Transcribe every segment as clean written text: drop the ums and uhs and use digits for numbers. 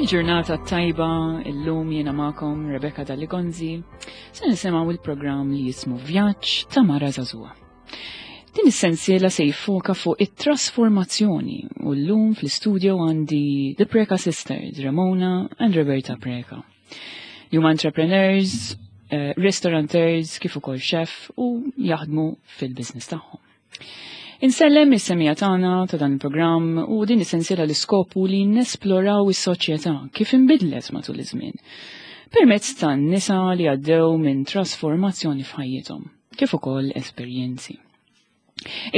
Il-ġurnata tajba illum jiena magħkom Rebecca Dalligonzi se nisimgħu il-programm li jismu Vjaġġ ta' Mara Żagħżugħa. Din is-sensiela se jiffoka fuq it-trasformazzjoni u llum fl-istudio għandi The Preca Sisters, Ramona and Roberta Preca. Li huma entrepreneurs, eh, restaurateurs, kif ukoll chef u jaħdmu fil-business tagħhom. Insellem is-semija tagħna ta' dan il-programm u din is-sensiela l-iskopu li nesploraw is-soċjetà kif inbidlet matul iż-żmien permezz tan-nisa li għaddew minn trasformazzjoni f'ħajjithom, kif ukoll esperjenzi.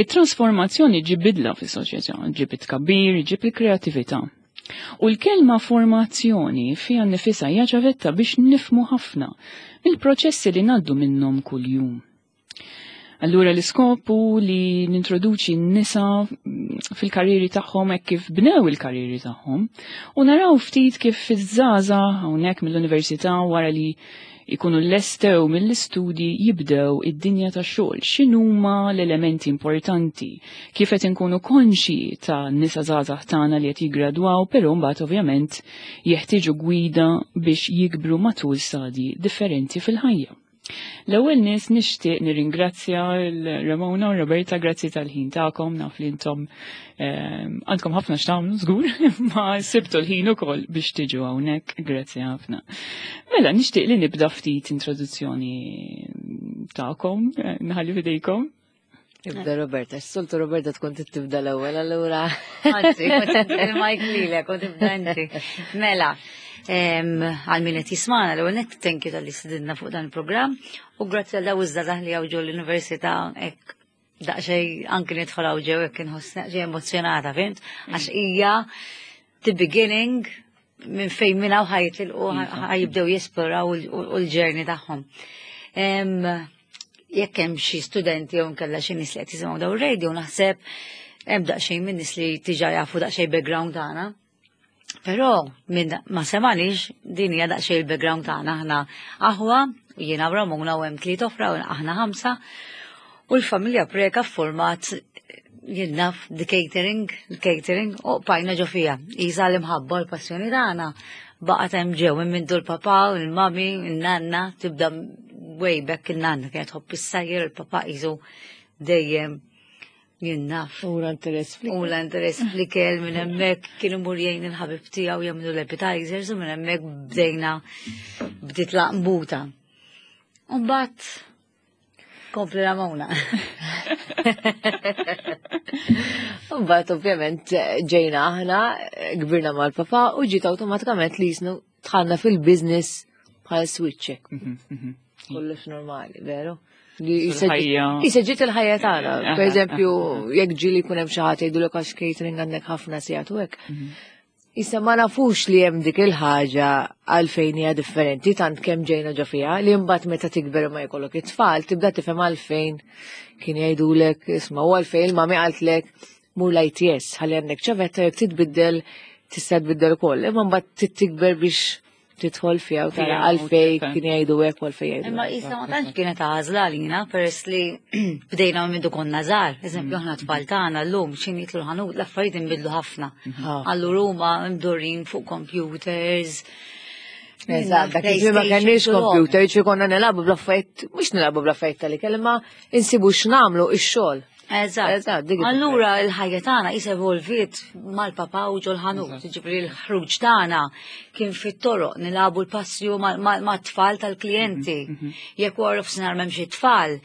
It-trasformazzjoni ġib bidla fis-soċjetà, ġib it-tkabbir, ġib il-kreattività. U l-kelma formazzjoni fiha nnifisha hija ċavetta biex nifmu ħafna mill-proċessi li ngħaddu minnhom kuljum. Allura l-iskop hu li nintroduċi n-nisa fil-karriri tagħhom hekk kif bnew il-karriri tagħhom u naraw ftit kif iż-żgħażagħ hawnhekk mill-università wara li jkunu lestew mill-istudji jibdew id-dinja tax-xogħol. X'inhuma l-elementi importanti? Kif qed inkunu konxi ta' nisa żgħażagħ tagħna li qed jiggradwaw, però mbagħad ovvjament jeħtieġu gwida biex jikbru matul stadji differenti fil-ħajja. L-ewwel nies nixtieq nirringrazzja l-Ramona u Roberta grazzi tal-ħin tagħkom naf li intom ehm, għandkom ħafna x'tagħmlu żgur, ma sibtu l-ħin ukoll biex tiġu hawnhekk, grazzi ħafna. Mela nixtieq li nibda ftit introduzzjoni tagħkom, eh, nħalli fidejkom. Ibda Roberta, s-soltu Roberta tkun tibda l-ewwel allura. Anzi, kont il-mike lilek, kont tibda inti. Mela, għal min qed jismana l-ewwel nett thank you tal-li sidinna fuq dan il-programm u grazzi għal daw iż-żgħażagħ li hawn ġol l-università hekk daqsxejn anki nidħol hawn ġew hekk inħoss daqsxejn emozjonata, fimt? Għax hija the beginning minn fejn minn hawn ħajtilqu iva. ħajibdew jesploraw u l-ġerni tagħhom. Jekk hemm xi studenti jew nkella xi nies li qed jisimgħu daw ir-radio naħseb hemm daqsxejn minn nies li diġà jafu daqsxejn background tagħna. Però minn ma semanix din hija daqsxejn il-background tagħna aħna aħwa jiena u Ramona u hemm tliet oħra u aħna ħamsa u l-familja Preka format jien naf the catering, catering, u bqajna ġo fija. Isa l-imħabba l-passjoni tagħna baqgħet hemm ġew minn mindu l-papà u l-mami, n-nanna, tibda way back il-nanna kienet tħobb is-sajjer il-papà qisu dejjem jien naf. U l-interess fl U l-interess fl-ikel minn hemmhekk kien imur jgħin il-ħabib tiegħu jagħmlu l-appetizers u minn hemmhekk bdejna bdiet laqbuta. U mbagħad Kompli Ramona. Mbagħad ovvjament ġejna aħna, kbirna mal-papa u ġiet awtomatikament li jisnu tħanna fil-business bħal switch. Mhm, mhm. Kollox normali, veru? Jisa ġiet il-ħajja tagħna. Per eżempju, jekk ġieli jkun hemm xi ħadd jgħidulek għax catering għandek ħafna sigħat u hekk. Mhm. Issa ma nafux li hemm dik il-ħaġa għalfejn hija differenti tant kemm ġejna ġo fiha li mbagħad meta tikber ma jkollok it-tfal tibda tifhem għalfejn kien jgħidulek isma' u għalfejn il-mami qaltlek mur l-ITS ħalli għandek ċavetta jekk titbiddel tista' tbiddel ukoll. Imma mbagħad tikber biex tidħol fiha u tara għalfej kien jgħidu hekk u għalfej jgħidu. Imma isa ma tantx kienet għażla għalina peress li bdejna minn konna żgħar. Eżempju aħna tfal tagħna llum x'in jitlu l-ħanut l-affarijiet inbidlu ħafna. Allura huma mdurrin fuq computers. Eżatt, dak iż ma kenniex computer, ċi konna nilagħbu bl-affarijiet, mhux nilagħbu bl-affarijiet tal-ikel, imma insibu x'nagħmlu ix-xogħol. Eżatt. Allura l-ħajja tagħna is evolviet mal-papa u ġol-ħanut, ġifieri l-ħruġ tagħna kien fit-toroq nilagħbu l-passju mat-tfal tal-klijenti. Mhm, mhm. Jekk wara f'sinar m'hemmx it-tfal,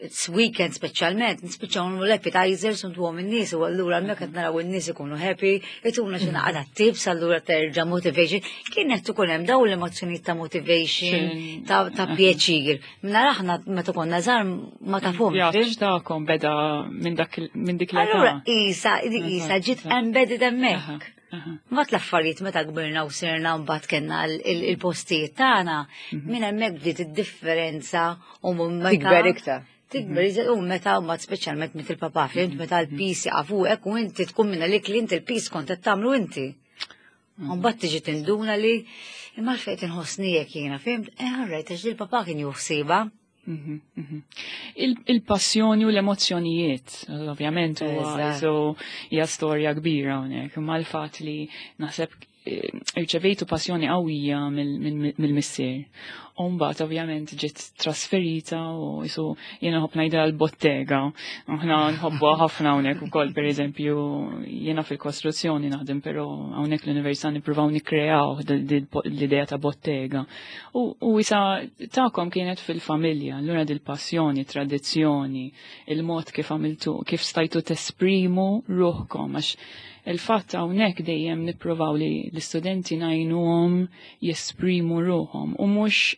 it's weekend speċjalment, nispiċċaw nagħmlu l-appetizers u ntuhom in-nies u allura hemmhekk qed naraw in-nies ikunu happy, ituna xi naqra tips allura terġa' motivation. Kienet ikun hemm dawn l-emozzjonijiet ta' motivation, ta' pjaċir. Mela aħna meta konna żgħar ma tafhom. Vjaġġ tagħkom beda minn dak minn dik l-età. Allura isa isa ġiet embedded hemmhekk. Mbagħad l-affarijiet meta kbirna u sirna mbagħad kellna il-postijiet tagħna, mhm. minn hemmhekk bdiet id-differenza u meta. Tikber iktar. Tikber mhm. u meta mbagħad speċjalment mit il-papà fint mhm. meta l-pis jaqafu hekk u inti tkun minna li klient il-pis kont qed tagħmlu inti. Mbagħad tiġi tinduna li imma fejn tinħossni jekk jiena fimt, eh alright għax il-papà kien juħsiba. Mhm, mhm. Il-passjoni u l-emozzjonijiet, ovvjament, huwa hija storja kbira hawnhekk, imma l-fatt li naħseb irċevejtu passjoni qawwija mill-missier. U mbagħad ovvjament ġiet trasferita u jisu jiena nħobb ngħidha l-bottega. Aħna nħobbuha ħafna hawnhekk ukoll pereżempju jiena fil-kostruzzjoni naħdem però hawnhekk l-università nippruvaw nikkreaw l-idea ta' bottega. U isa tagħkom kienet fil-familja, allura dil-passjoni, tradizzjoni, il-mod kif għamiltu, kif stajtu tesprimu ruħkom għax il-fatt hawnhekk dejjem nippruvaw li l-istudenti ngħinuhom jesprimu ruħhom u mhux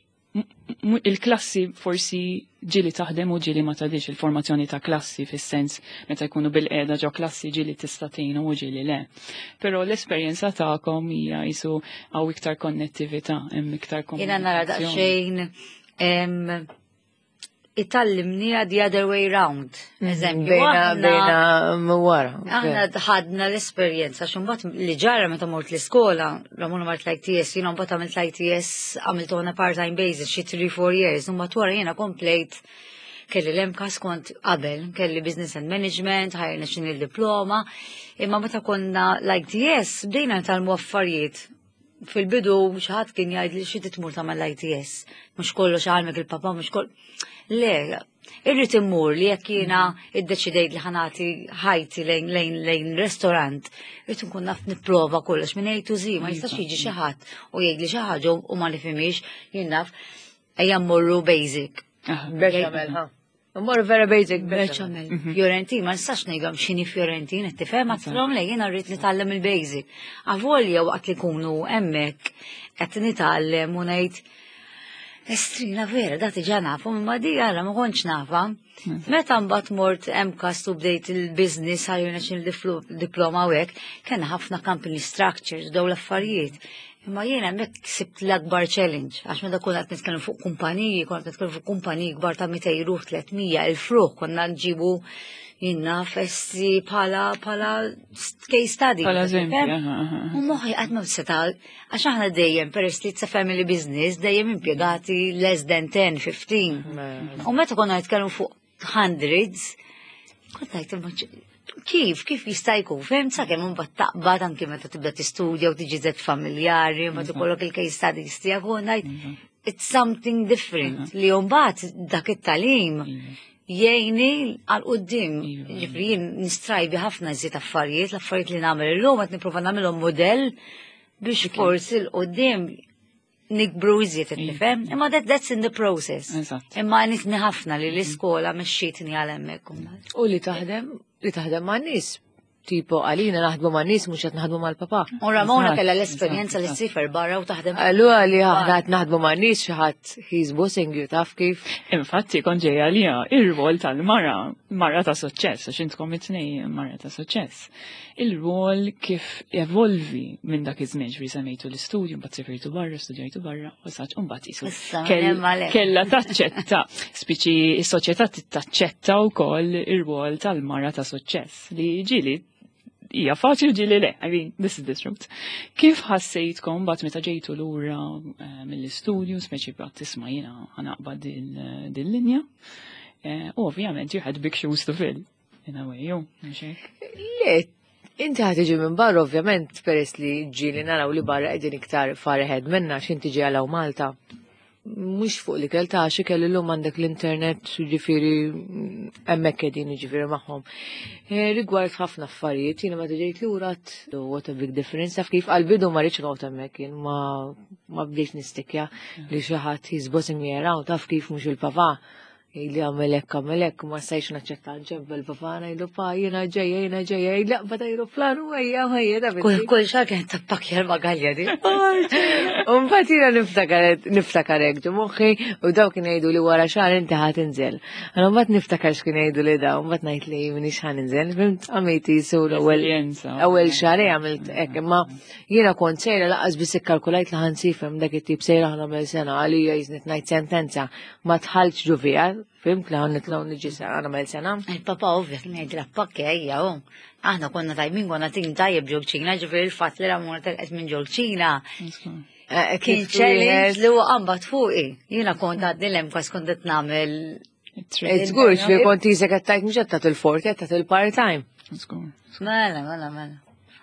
il-klassi forsi ġieli taħdem u ġieli ma tadix il-formazzjoni ta' klassi fis-sens meta jkunu bil-qiegħda ġo klassi ġieli tista' tgħinu u ġieli le. Però l-esperjenza tagħkom hija jisu hawn iktar konnettività, hemm iktar Jiena nara komunikazzjoni. daqsxejn itallimni the other way round. Eżempju, Bejna, bejna wara. Aħna ħadna l-esperjenza, xumbat li ġara meta mort l-iskola, Ramona mort l-ITS, jiena mbagħad għamilt l-ITS, għamilt on a part-time basis, xi 3-4 years, mbagħad wara jiena komplejt kelli l-MCAST kont qabel, kelli business and management, ħajrna xini l-diploma, imma meta konna l-ITS, bdejna nitgħallmu affarijiet. Fil-bidu xi ħadd kien jgħid li xi titmur tagħmel l-ITS, mhux kollox għalmek il-papa, mhux koll. Le, irrid immur li jekk jiena iddeċidejt li ħa nagħti ħajti lejn lejn lejn restorant, irrid nkun naf nipprova kollox minn A to Z, ma jistax jiġi xi ħadd u jgħid li xi ħaġa u ma nifhimix, jien naf ejja mmorru basic. Bechamel, ha. Mmorru vera basic, bechamel. Fiorentin, ma nistax ngħidhom x'inhi Fiorentin, qed tifhem għatfilhom le jiena rrid nitgħallem il-basic. Avolja waqt li kunu hemmhekk qed nitgħallem u ngħid Estrina vera, da diġà nafu, imma di għala ma kontx nafa. Meta mbagħad mort MCAST u bdejt il-business ħajjuna xi diploma u hekk, kellna ħafna company structures daw l-affarijiet. Imma jiena hemmhekk sibt l-akbar challenge, għax meta konna qed nitkellmu fuq kumpaniji, konna qed nitkellmu fuq kumpaniji kbar ta' 200 ruħ, 300 elf ruħ, konna nġibu jiena festi bħala case study. Bħala eżempju, aha, aha. U moħħi qatt ma seta' għax aħna dejjem peress li it's a family business, dejjem impjegati less than 10, 15. U meta konna nitkellmu fuq hundreds, kont ngħid imma kif jista' jkun, fhimt, sakemm imbagħad taqbad anki meta tibda tistudja u tiġi żed familjari, ma tikollok il-case studies tiegħek u ngħid it's something different li mbagħad dak it-tagħlim jgħinni għal quddiem. Ġifieri jien nistrajbi ħafna iżjed affarijiet, l-affarijiet li nagħmel illum qed nipprova nagħmilhom modell biex forsi 'l quddiem nikbru iżjed qed nifhem, imma that's in the process. Imma għenitni ħafna li l-iskola mexxietni għal hemmhekk. U li taħdem ma' nies, tipo għalina naħdmu ma' nies mhux qed naħdmu mal-papa. U Ramona kellha l-esperjenza li ssifer barra u taħdem. Allura li aħna qed naħdmu ma' nies xi ħadd he's bossing you, taf kif. Infatti kont ġejja għalija ir-rwol tal-mara, mara ta' suċċess, għax intkom it-tnejn mara ta' suċċess. Il-rwol kif evolvi minn dak iż-żmien, ġifieri semmejtu l-istudju, mbagħad sifirtu barra, studjajtu barra, u saċ, u mbagħad isu Issa, hemm għalhekk. kella taċċetta, spiċi s-soċjetà taċċetta wkoll ir-rwol tal-mara ta' suċċess li ġieli hija faċli ġieli le, I mean, this is the truth. Kif ħassejtkom bat meta ġejtu lura mill-istudju, speċi bat tisma' jiena ħa naqbad din linja, u ovvjament you had big shoes to fill. In a way, ju, mhux hekk? Le, inti ħa tiġi minn barra, ovvjament, peress li ġieli naraw li barra qegħdin iktar far ahead minna, x'inti ġi għalaw Malta. Mhux fuq li kell ta' xi kelli llum għandek l-internet, ġifieri, hemmhekk qegħdin ġifieri magħhom. Rigward ħafna affarijiet, jiena meta ġejt lura what a big difference, taf kif għal-bidu ma rridx noqgħod hemmhekk jien ma bdejx nistikja li xi ħadd he's bossing me around, taf kif mhux il-papa. Li għamel hekk, għamel hekk, ma stajx naċċetta ġemp il-papa, ngħidlu pa, jiena ġejja, jiena ġejja, jgħid laqba ta' aeroplan u ejja, ejja, da binti. Kull xahar kien tappakja l-bagalja di. U mbagħad jiena niftakar hekk ġo moħħi u daw kien jgħidu li wara xahar inti ħa tinżel. Allora mbagħad niftakar x'kien jgħidu li daw, mbagħad ngħid li minix ħa ninżel, fhimt għamilt jisu l-ewwel Esperjenza. ewwel xahar għamilt hekk, imma jiena kont sejra laqas biss ikkalkulajt li ħa nsifhem dak it-tip sejra ħa nagħmel sena għalija jiżnit ngħid sentenza ma tħaltx ġo fija, fhimt li ħa nitlgħu niġi sena nagħmel sena. Il-papa ovvja kien jgħidilha pakki ejja hu. Aħna konna tajbin, konna tim tajjeb ġol-ċina, ġifieri il-fatt li Ramona telqet minn ġol-ċina. Kien Kif challenge wieħed li huwa qambat fuqi. Jiena kont għadni l-MCAST kont qed nagħmel Żgur, xfi kont jisek qed tajt mhux qed tagħti il-forti, qed tagħti il-part-time. Żgur. Mela, mela, mela.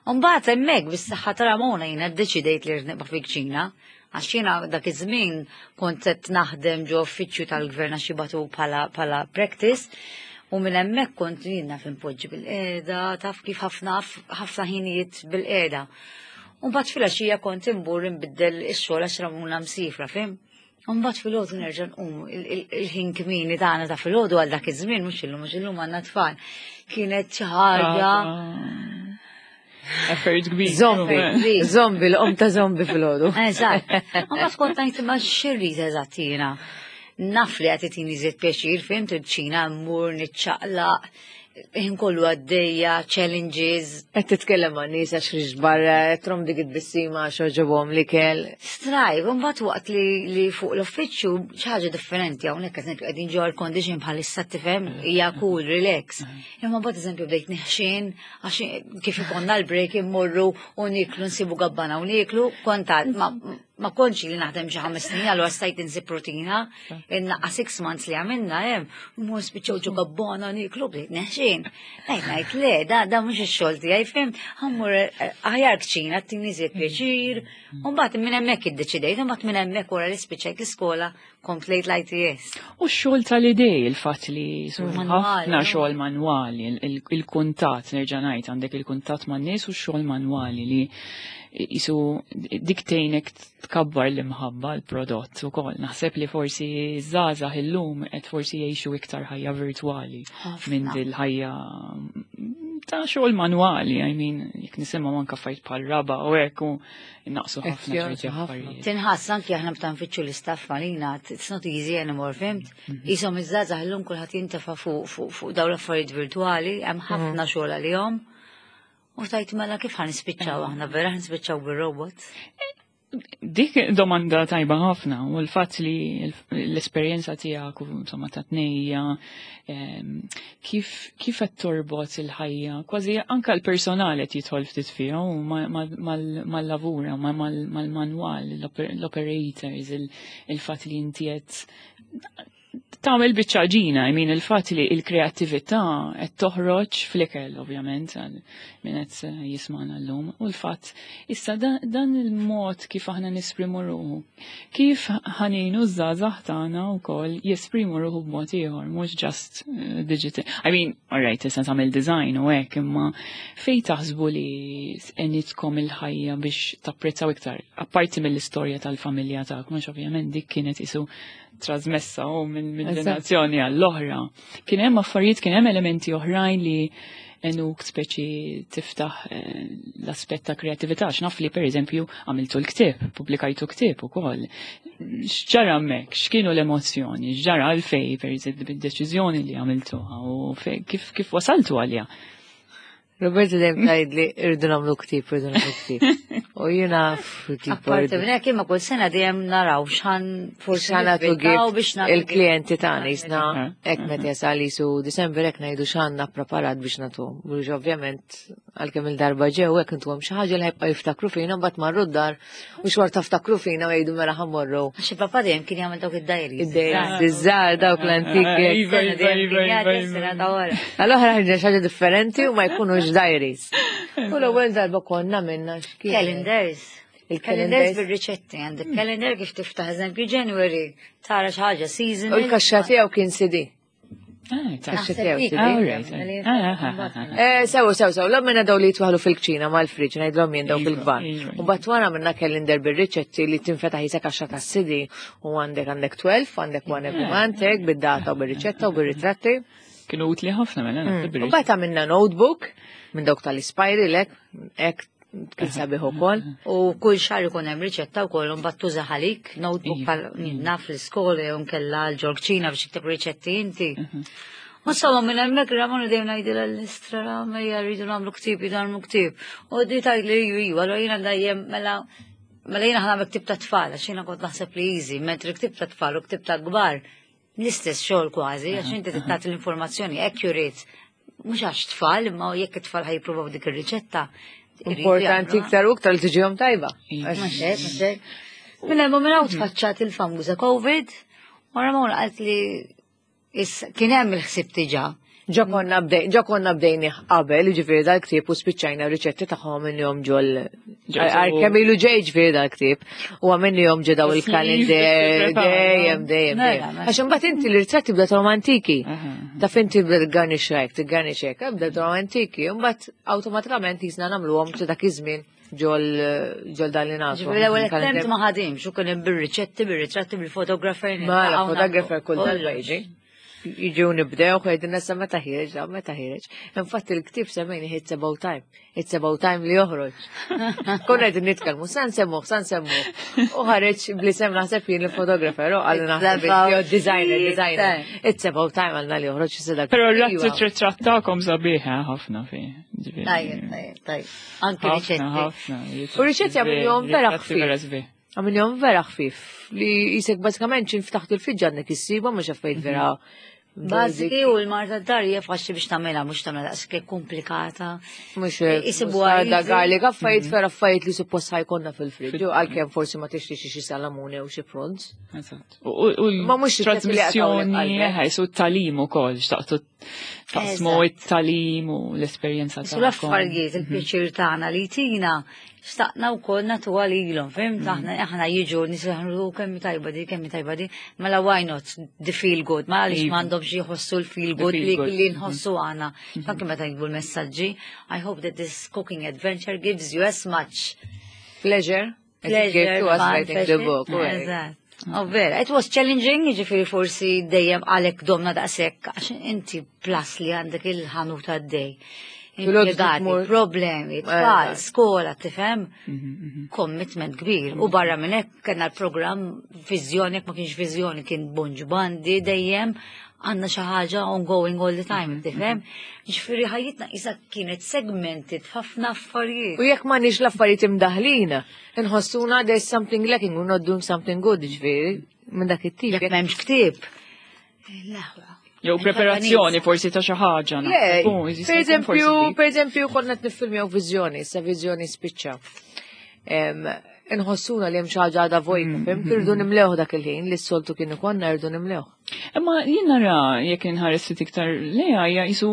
Mbagħad hemmhekk bis-saħħa ta' Ramona jiena ddeċidejt li rrid nibqa' fil-kċina. Għax jiena dak iż-żmien kont qed naħdem ġo uffiċċju tal-gvern għax jibatu bħala practice u minn hemmhekk kont jiena f'impoġġi bil-qiegħda, taf kif ħafna ħafna ħinijiet bil-qiegħda. U mbagħad filgħaxija kont imbur inbiddel ix-xogħol għax Ramona msifra, fim? U mbagħad filgħodu nerġa' nqum il-ħin kmieni tagħna ta' filgħodu għal dak iż-żmien mhux illum mhux illum għandna tfal. Kienet xi ħaġa Effort kbir. Zombi, zombi, l-om ta' zombi fil-ħodu. Eżatt. Ma tkun tajt ma xirrit eżatt jiena. Naf li qed itini żied pjaċir, fimt il-ċina mmur niċċaqlaq, ħin kollu għaddejja, challenges. Qed titkellem ma' nies għax ħriġt barra, qed trom dik it-tbissima għax għoġobhom l-ikel. Strajb, mbagħad waqt li, li fuq l-uffiċċju xi ħaġa differenti hawnhekk eżempju qegħdin ġo air condition bħalissa tifhem hija cool, relax. Imma mbagħad eżempju bdejt neħxin għax kif ikonna l-break immorru u niklu nsibu gabbana u niklu, kontat ma, ma kontx li naħdem xi 5 snin, allura stajt insib rutina, inna 6 months li għamilna hemm, u mur spiċċaw ġo gabbana niklu bdejt neħxin. Ngħid ngħid le, da mhux ix-xogħol tiegħi fim, ħammur aħjar kċina tini żied pjaċir, u mbagħad minn hemmhekk iddeċidejt, u mbagħad minn hemmhekk wara li spiċċajt l-iskola komplejt l-ITS. U x-xogħol tal-idej, il-fatt li Manwali, ħafna no? xogħol manwali, il-kuntatt, nerġa' ngħid għandek il-kuntatt man-nies u x-xogħol manwali li jisu dik tgħinek tkabbar l-imħabba l-prodott ukoll. Naħseb li forsi żgħażagħ illum qed forsi jgħixu iktar ħajja virtwali minn dil-ħajja ta' xogħol manwali, I mean, jekk nisimgħu anke affarijiet bħal raba u hekk u naqsu ħafna ċerti affarijiet. Tinħass anki aħna meta nfittxu l-istaff malina, it's not easy anymore, fimt? Isom iż-żgħażagħ illum kulħadd jintefa' fuq dawn l-affarijiet virtwali, hemm ħafna xogħol għalihom. U tajt mela kif ħa nispiċċaw aħna, vera ħa nispiċċaw bir-robot? Dik domanda tajba ħafna u l-fatt li l-esperjenza tiegħek u insomma ta' tnejja kif qed torbot il-ħajja, kważi anka l-personal qed jidħol ftit fiha u mal-lavura, mal-manwal, l-operators, il-fatt li inti qed tagħmel biċċa ġina, I mean il-fatt li il-kreattività qed toħroġ fl-ikel ovvjament għal min qed jismana llum u l-fatt issa dan il-mod kif aħna nesprimu ruħu. Kif ħa ngħinu ż-żgħażagħ tagħna wkoll jesprimu ruħu b'mod ieħor, mhux just digital. I mean, all right, issa tagħmel design u hekk, imma fejn taħsbu li għenitkom il-ħajja biex tapprezzaw iktar, apparti mill-istorja tal-familja tagħkom, għax ovvjament dik kienet isu trasmessa u minn ġenerazzjoni għall-oħra. Kien hemm affarijiet, kien hemm elementi oħrajn li għenuk speċi tiftaħ l-aspett ta' kreatività. X'naf li per eżempju għamiltu l-ktieb, pubblikajtu ktieb ukoll. X'ġara hemmhekk? X'kienu l-emozzjoni? X'ġara għalfej per eżempju bid-deċiżjoni li għamiltuha u kif wasaltu għaliha? Roberta dejjem tgħidli irridu nagħmlu ktieb, irridu nagħmlu ktieb. U jiena tipo Apparti minn hekk imma kull sena dejjem naraw x'ħan forsi x'ħan nagħtu nivvintaw gift biex nagħtu il-klijenti gift. tagħna jisna hekk meta jasal jisu Disember hekk ngħidu x'għandna preparat biex nagħtuhom. Mhux ovvjament għalkemm il-darba ġew hekk intuhom xi ħaġa li ħajbqgħu jiftakru fina mbagħad marru d-dar u xorta ftakru fina u jgħidu mela ħa mmorru. Għax il-papa dejjem kien jagħmel dawk id-diaries. Id-diaries, iż-żgħar dawk l-antiki. Iva, Sena iva, dejjem iva, kien iva, jagħti sena ta' wara. Allora ħarġa xi ħaġa differenti u ma jkunux diaries. U l-ewwel darba konna minna x'kien. Calendars. Il-calendars. Calendars bil-riċetti għandek. Calendar kif tiftaħ eżempju January, tara xi ħaġa seasonal. U l-kaxxa tiegħu kien CD. Ah, ta' Kaxxa tiegħu dik. CD. All right. Sew, sew, sew, l minna daw li jitwaħlu fil-kċina mal-friġ, ngħidlhom jien daw Iva, fil-kbar. iva, U bat wara minna calendar bil-riċetti li tinfetaħ jisa kaxxa ta' CD u għandek 12, għandek one every month, hekk, bid-data u bil-riċetta u bil-ritratti. Kienu utli ħafna mela naħseb U bat għamilna notebook minn dawk tal-ispajri lek, hekk kien sabiħ ukoll. U kull xahar ikun hemm riċetta wkoll imbagħad tuża ħalik, notebook Iva. bħal naf l-iskola jew nkella l-ġorġina biex tikteb riċetti inti. U insomma minn hemmhekk Ramon dejjem ngħidilha l-istra ejja rridu nagħmlu ktieb, rridu nagħmlu ktieb. U di tgħidli iva, iva, allura jiena dejjem mela jiena ħa nagħmel ktieb ta' tfal, għax jiena kont naħseb li easy, mentri ktieb ta' tfal u ktieb ta' kbar l-istess xogħol kważi, għax inti tagħti l-informazzjoni accurate. Mhux għax tfal, imma jekk it-tfal ħa jippruvaw dik ir-riċetta. Iridu Importanti jagħmluha. iktar u iktar li tiġihom tajba. Iva. Ma xejn, ma xejn. Minn hemm minn hawn tfaċċat il-famuża Covid, u Ramon qalt li kien hemm il-ħsieb diġà. Ġa konna bdej, ġa konna bdejni qabel, ġifieri dal-ktieb u spiċċajna riċetti tagħhom minnhom ġol. Għar kemm ilu ġej ġifieri dal-ktieb u għamilnihom ġo daw il-kalender dejjem dejjem. Għax imbagħad inti l-ritratti bda tagħhom antiki. Taf inti bda tgarnix hekk, tgarnix hekk, bda tagħhom antiki, imbagħad awtomatikament jisna nagħmluhom ta' dak iż-żmien ġol ġol dan li nafu. Ġifieri l-ewwel attempt ma ħadimx u kien hemm bir-riċetti, bir-ritratti, bil-fotografer. Mela, fotografer kull darba jiġi. Jiġu nibdew, għedin nessa meta ħireġ, da meta ħireġ. Infatti il-ktib semmejni It's About Time. It's About Time li joħroġ. Konna qegħdin nitkellmu, san semmuh, san semmuh. U ħareġ bl-isem naħseb jien il-fotografer, u għallu naħseb jew designer, designer. It's About Time għalna li joħroġ issa Però r-ritratt tagħkom sabiħa ħafna fi. Tajjeb, tajjeb, tajjeb. Anke riċetti. U riċetti għamilhom vera ħfief. Għamilhom vera ħfief li jisek bażikament x'in ftaħt il-friġġ għandek issibhom mhux affarijiet vera Bażiki u l-marta d-dar hija faċli biex tagħmilha mhux tagħmilha daqshekk komplikata. Mhux isibu da garlic affarijiet vera affarijiet li suppost ħajkonna fil-friġġ għalkemm forsi ma tixtrix xi salamune u xi prawns. Eżatt. U ma mhux trasmissjoni su t-talim ukoll xtaqtu taqsmu it-talim u l-esperjenza tagħkom. L-affarijiet il-pjaċir tagħna li tina xtaqna wkoll nagħtuha lilhom, fim? Mhm. Aħna aħna jiġu nisħru kemm tajba di, kemm tajba di, mela why not the feel good, ma għaliex iva. m'għandhomx jħossu l-feel good li mhm. nħossu aħna. Mhm. Anke meta jikbu l-messaġġi, I hope that this cooking adventure gives you as much pleasure. Pleasure to us writing the book. Eżatt. Oh, vera, it was challenging, ġifiri forsi dejjem għalek domna daqsek, għax inti plus li għandek il-ħanut għaddej. Impjegati, problemi, tfal, skola, tifhem? Mhm, mhm. Commitment kbir. U barra minn hekk kellna l-programm viżjoni, jekk ma kienx viżjoni kien Bonġ Bandi dejjem għandna xi ħaġa ongoing all the time, mhm, tifhem? Ġifieri ħajjitna isa kienet segmented f'ħafna affarijiet. U jekk m'għandniex l-affarijiet imdaħlin, inħossuna there's something lacking, we're not doing something good, ġifieri, minn dak it-tip. Jekk m'hemmx ktieb. L-aħwa. Jew preparazzjoni forsi ta' xi ħaġa. Per eżempju, per eżempju, konna qed niffilmjaw viżjoni, sa viżjoni spiċċa. Inħossuna li hemm xi ħaġa għadha vojta, fim? Irdu nimlewh dak il-ħin li s-soltu kien ikollna rridu nimlewh. Imma jien nara jekk inħares ftit iktar lejha hija qisu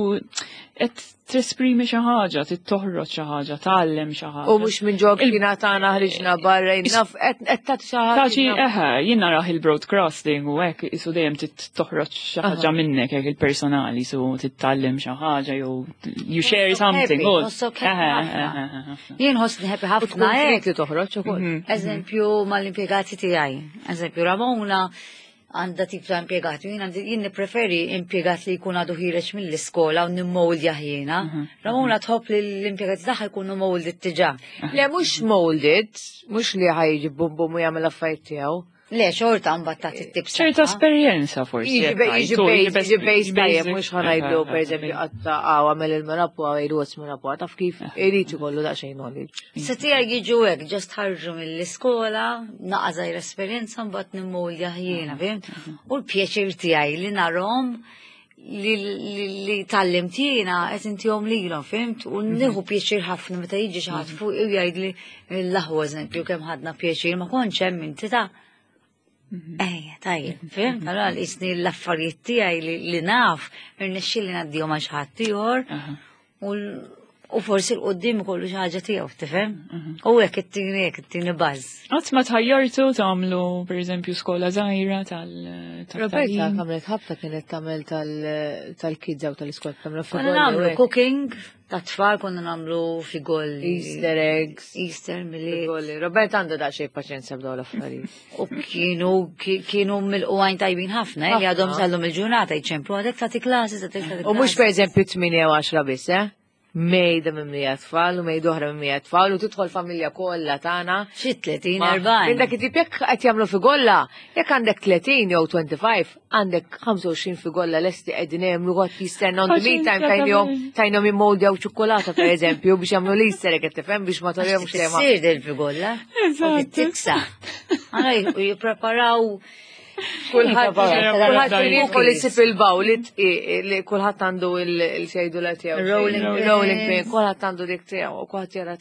qed tesprimi xi ħaġa, trid toħroġ xi ħaġa, tgħallem xi ħaġa. U mhux minn ġo kina tagħna ħriġna barra naf qed tagħti xi ħaġa. Taċi eħe, jien narah il-broadcasting u hekk isu dejjem trid toħroġ xi ħaġa minnek hekk il-personali su trid tgħallem xi ħaġa jew you share something. Jien ħossni happy ħafna hekk. Li toħroġ ukoll. Mhm. Eżempju mal-impjegati tiegħi. Eżempju Ramona għandha tip ta' impjegati. Jien għandi jien nippreferi impjegat li jkun għadu ħireġ mill-iskola u nimmoldja jiena. Mhm. Ramona tħobb li l-impjegati tagħha jkunu molded diġà. Le mhux molded, mhux li ħajġi bum bum u jagħmel affarijiet tiegħu. Le, xorta mbagħad tagħti tips. ċerta esperjenza forsi. Jiġi bejs tajjeb mhux ħanajdlu pereżempju qatta għaw għamel il-merapu għaw jgħidu għas merapu taf kif irid ikollu daqsxejn knowledge. Se tiegħi jiġu hekk ġast ħarġu mill-iskola, naqa' żgħir esperjenza mbagħad nimmolja jiena, fhimt? U l-pjaċir tiegħi li narhom li, li, li tallimt jiena qed intihom lilhom, fhimt? U nieħu pjaċir ħafna meta jiġi xi ħadd fuq u jgħidli l-aħwa eżempju kemm ħadna pjaċir ma kontx hemm inti ta' Ejja, tajjeb, fhimt? Allora jisni l-affarijiet tiegħi li, li naf irnexxieli ngħaddihom għal xi ħadd ieħor u u forsi l-qoddim ikollu xi ħaġa tiegħu, tifhem? U hekk it-tieni hekk it-tieni baż. Qatt ma tħajjartu tagħmlu pereżempju skola żgħira tal Roberta għamlet ħabta kienet tagħmel tal-kids u tal-iskola tagħmlu Konna nagħmlu cooking ta' tfal konna nagħmlu figolli. Easter eggs. Easter milli. Roberta għandha daqsxejn paċenzja b'dawn l-affarijiet. U kienu kienu mill-qwajn tajbin ħafna, eh, li għadhom sallum il-ġurnata jċemplu għadek tagħti klasi, tagħti klasi. U mhux pereżempju 8 u 10 biss, eh? Mejda mimlija tfal u mejda oħra mimlija tfal u tidħol familja kollha tagħna. Xi 30 40. Minn dak it-tip jekk qed jagħmlu figolla, jekk għandek 30 jew 25, għandek 25 figolla lesti qegħdin hemm għod jistenna on the meantime tajnihom tajnihom jimmoldjaw ċokolata pereżempju biex jagħmlu l-Easter egg qed tifhem biex ma torihomx tema. Sir del figolla. Eżatt. Tiksa. Għana jippreparaw Kulħadd kulħadd jidħol isib il-baw li kulħadd għandu il-xejdu la tiegħu. Rolling rolling pin, kulħadd għandu dik tiegħu u kulħadd jara.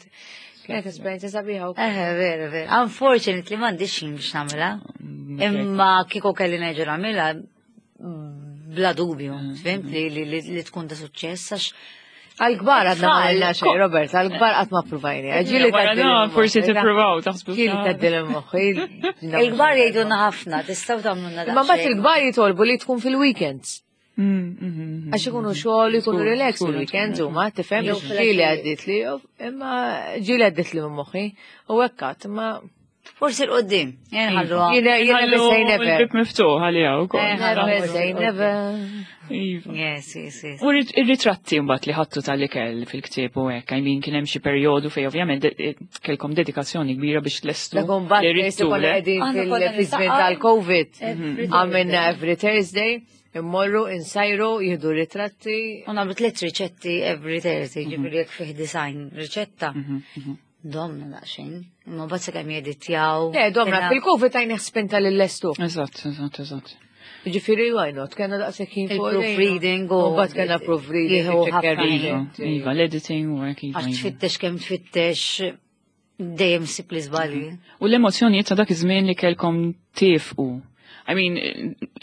Kienet esperjenza sabiħa wkoll. Eh, vera, vera. Unfortunately m'għandix ħin biex nagħmilha. Mm, Imma kieku kelli nerġa' nagħmilha Bla dubju, fhimt li tkun ta' suċċess għax Għal-kbar għadna ma għalna xej, Robert, għal-kbar qatt ma provajni. Ġieli Forsi tippruvaw taħsbu. Ġieli tgħaddil moħħi. Il-kbar jgħidulna ħafna, tistgħu tagħmlulna Ma mbagħad il-kbar jitolbu li tkun fil-weekends. Għax ikunu xogħol, ikunu relax fil-weekends huma, tifhem ġieli għaddit li, imma ġieli għaddit li minn moħħi. U hekk qatt, imma Forsi l-qoddim, jenħallu. Jiena jiena say never. Il-bib miftuħ għalija wkoll. Never say never. Iva. Yes. U ir-ritratti mbagħad li ħattu tal-ikel fil-ktieb u hekk, I mean kien hemm xi perjodu fejn ovvjament kellkom dedikazzjoni kbira biex tlestu. Dak mbagħad li ridtu, konna le? qegħdin Aħna konna fil-żmien niltaqgħu tal-Covid. Every Għamilna every Thursday, immorru insajru, jieħdu ritratti. U nagħmlu tliet riċetti every Thursday, ġifieri jekk fih design riċetta. Domna daqsxejn, imma mbagħad sakemm jeditjaw. Le, domna, fil-Covid tajni spinta lill-lestu. Eżatt. Ġifieri, why not? Kena daqshekk ħin fuq Il-proofreading u- U mbagħad kena proofreading. Jieħu iċċekkjar ħafna ħin. riċetti. Iva, l-editing u hekk iva. Għax iva. tfittex kemm tfittex dejjem sib li żbalji. U l-emozjonijiet ta' dak iż-żmien li kellkom tifqu. I mean,